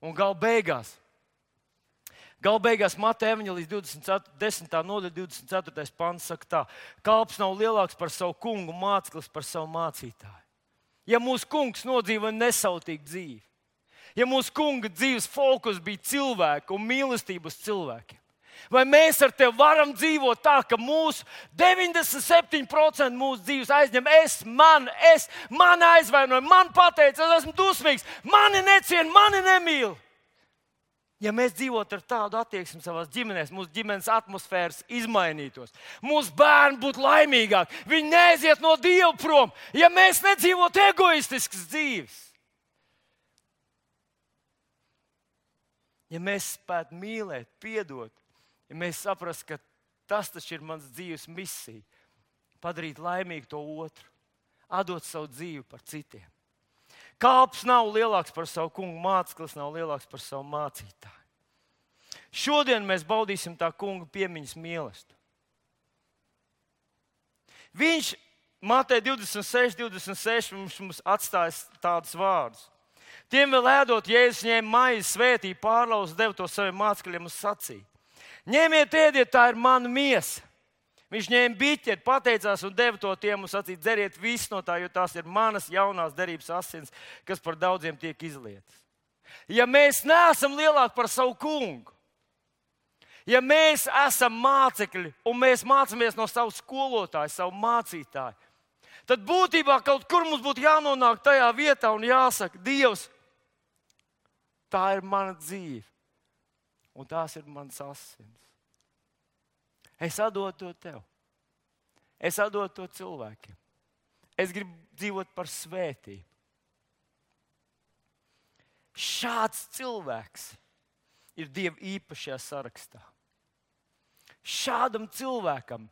Un gal beigās Galu beigās Mateja evaņģēlijas 10. nodaļa 24. pants saka tā: kalps nav lielāks par savu kungu, māceklis par savu mācītāju. Ja mūsu kungs nodzīvoja nesautīgu dzīvi, ja mūsu kunga dzīves fokus bija cilvēki un mīlestība uz cilvēkiem, vai mēs ar tevi varam dzīvot tā, ka mūsu 97% mūsu dzīves aizņem man aizvainoja, man pateica, es esmu dusmīgs, mani neciena, mani nemīl. Ja mēs dzīvotu ar tādu attieksmi savās ģimenēs, mūsu ģimenes atmosfēras izmainītos, mūsu bērni būtu laimīgāki, viņi neaiziet no Dieva prom, ja mēs nedzīvotu egoistiskas dzīves. Ja mēs spētu mīlēt, piedot, ja mēs saprastu, ka tas taču ir mans dzīves misija, padarīt laimīgu to otru, atdot savu dzīvi par citiem. Kalps nav lielāks par savu kungu, māceklis nav lielāks par savu mācītāju. Šodien mēs baudīsim tā kunga piemiņas mīlestību. Viņš Mateja 26 mums atstāja tādus vārdus. Tiem vēl ēdot, Jēzus ņēma maizi, svētīja, pārlauza, deva to saviem mācekļiem un sacīja: ņemiet, ēdiet, tā ir mana miesa. Viņš ņēma biķeri, pateicās un deva to tiem un sacīja: dzeriet visu no tā, jo tās ir manas jaunās derības asins, kas par daudziem tiek izlietas. Ja mēs neesam lielāki par savu kungu, ja mēs esam mācekļi un mēs mācāmies no savu skolotāju, savu mācītāju, tad būtībā kaut kur mums būtu jānonāk tajā vietā un jāsaka: Dievs, tā ir mana dzīve un tās ir manas asins. Es atdodu to tev. Es atdodu to cilvēkiem. Es gribu dzīvot par svētību. Šāds cilvēks ir Dieva īpašajā sarakstā. Šādam cilvēkam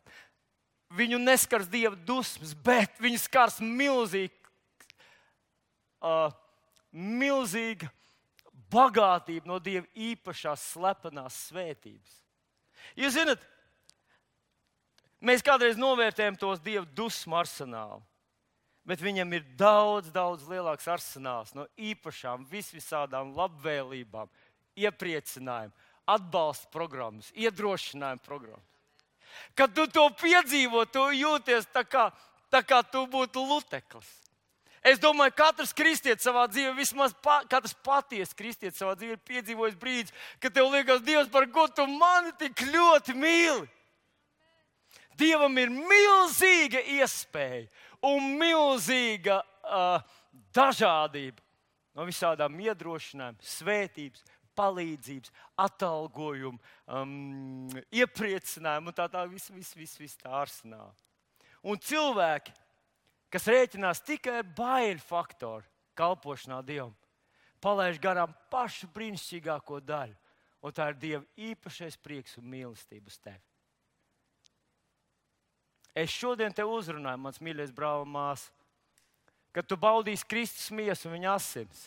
viņu neskars Dieva dusmas, bet viņu skars milzīga bagātība no Dieva īpašās slepenās svētības. Jūs zināt, mēs kādreiz novērtējam tos Dieva dusmu arsenālu, bet viņam ir daudz lielāks arsenāls no īpašām, visādām labvēlībām, iepriecinājumiem, atbalsta programmas, iedrošinājuma programmas. Kad tu to piedzīvo, tu jūties tā kā tu būtu luteklis. Es domāju, katrs kristietis savā dzīvē, vismaz katrs patiesi kristietis savā dzīvē ir piedzīvojis brīdis, kad tev liekas: Dievs, par ko tu mani tik ļoti mīli? Dievam ir milzīga iespēja un milzīga dažādība no visādām iedrošinājumiem, svētības, palīdzības, atalgojuma, iepriecinājuma un tā viss tā arsenāla. Un cilvēki, kas rēķinās tikai ar baiļu faktoru kalpošanā Dievam, palaiž garām pašu brīnišķīgāko daļu, un tā ir Dieva īpašais prieks un mīlestība uz tevi. Es šodien te uzrunāju, mans mīļais brāl un māsa, kad tu baudīsi Kristus miesu un viņa asins.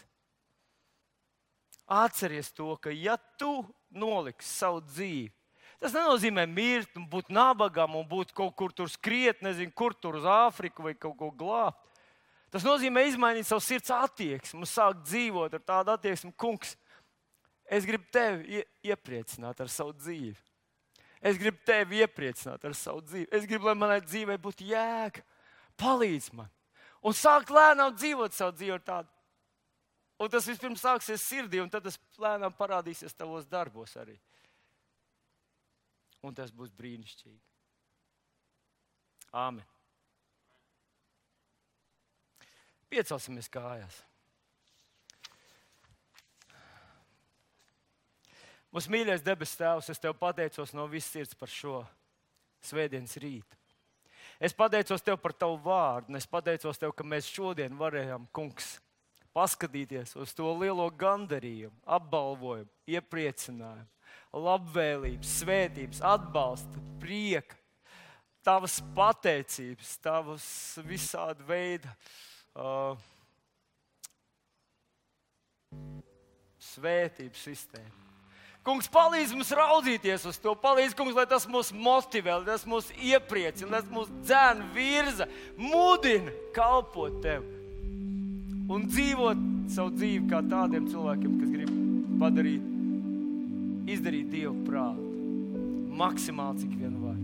Atceries to, ka ja tu noliksi savu dzīvi, tas nenozīmē mirt un būt nabagam un būt kaut kur tur skriet, nezinu, kur tur uz Āfriku vai kaut ko glābt. Tas nozīmē izmainīt savu sirds attieksmi un sākt dzīvot ar tādu attieksmi: Kungs, es gribu tevi iepriecināt ar savu dzīvi. Es gribu tevi iepriecināt ar savu dzīvi. Es gribu, lai manai dzīvei būtu jēga. Palīdz man. Un sākt lēnām dzīvot savu dzīvi ar tādu. Un tas vispirms sāksies sirdī, un tad tas lēnām parādīsies tavos darbos arī. Un tas būs brīnišķīgi. Āmen. Piecelsimies kājās. Mūsu mīļais debes Tēvs, es Tev pateicos no visas sirds par šo svētdienas rītu. Es pateicos Tev par Tavu vārdu, un es pateicos Tev, ka mēs šodien varējām, Kungs, paskatīties uz to lielo gandarījumu, apbalvojumu, iepriecinājumu, labvēlības, svētības, atbalsta, prieka, Tavas pateicības, Tavas visāda veida svētības sistēma. Kungs, palīdz mums raudzīties uz to. Palīdz, Kungs, lai tas mūs motivē, lai tas mūs iepriecina, lai tas mūs dzēna, virza, mudina kalpot Tev un dzīvot savu dzīvi kā tādiem cilvēkiem, kas grib padarīt izdarīt Dievu prātu. Maksimāli, cik vien var.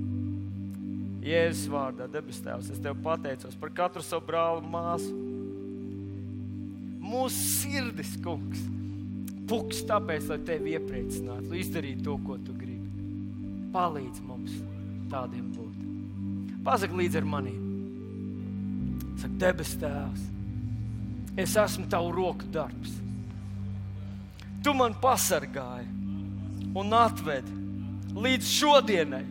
Jēzus vārdā, debes Tēvs, es Tev pateicos par katru savu brāli un māsu. Mūsu sirdis, kungs, puks tāpēc, lai Tevi iepriecinātu, lai izdarītu to, ko Tu gribi. Palīdz mums tādiem būt. Pasaki līdz ar maniem. Saka, debes Tēvs, es esmu Tavu roku darbs. Tu man pasargāji un atvedi līdz šodienai.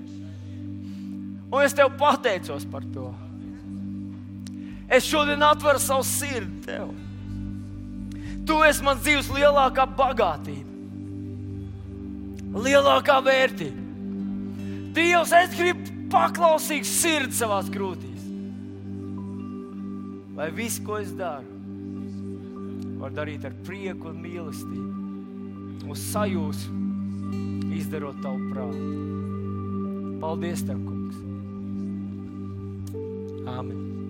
Un es Tev pateicos par to. Es šodien atveru savu sirdi Tev. Tu esi mans dzīves lielākā bagātība, lielākā vērtība. Dievs, es gribu paklausīgu sirdi savās krūtīs. Lai viss, ko es daru, var darīt ar prieku un mīlestību. Uz sajūsmu, izdarot Tavu prātu. Paldies Tev, kungs. Āmen.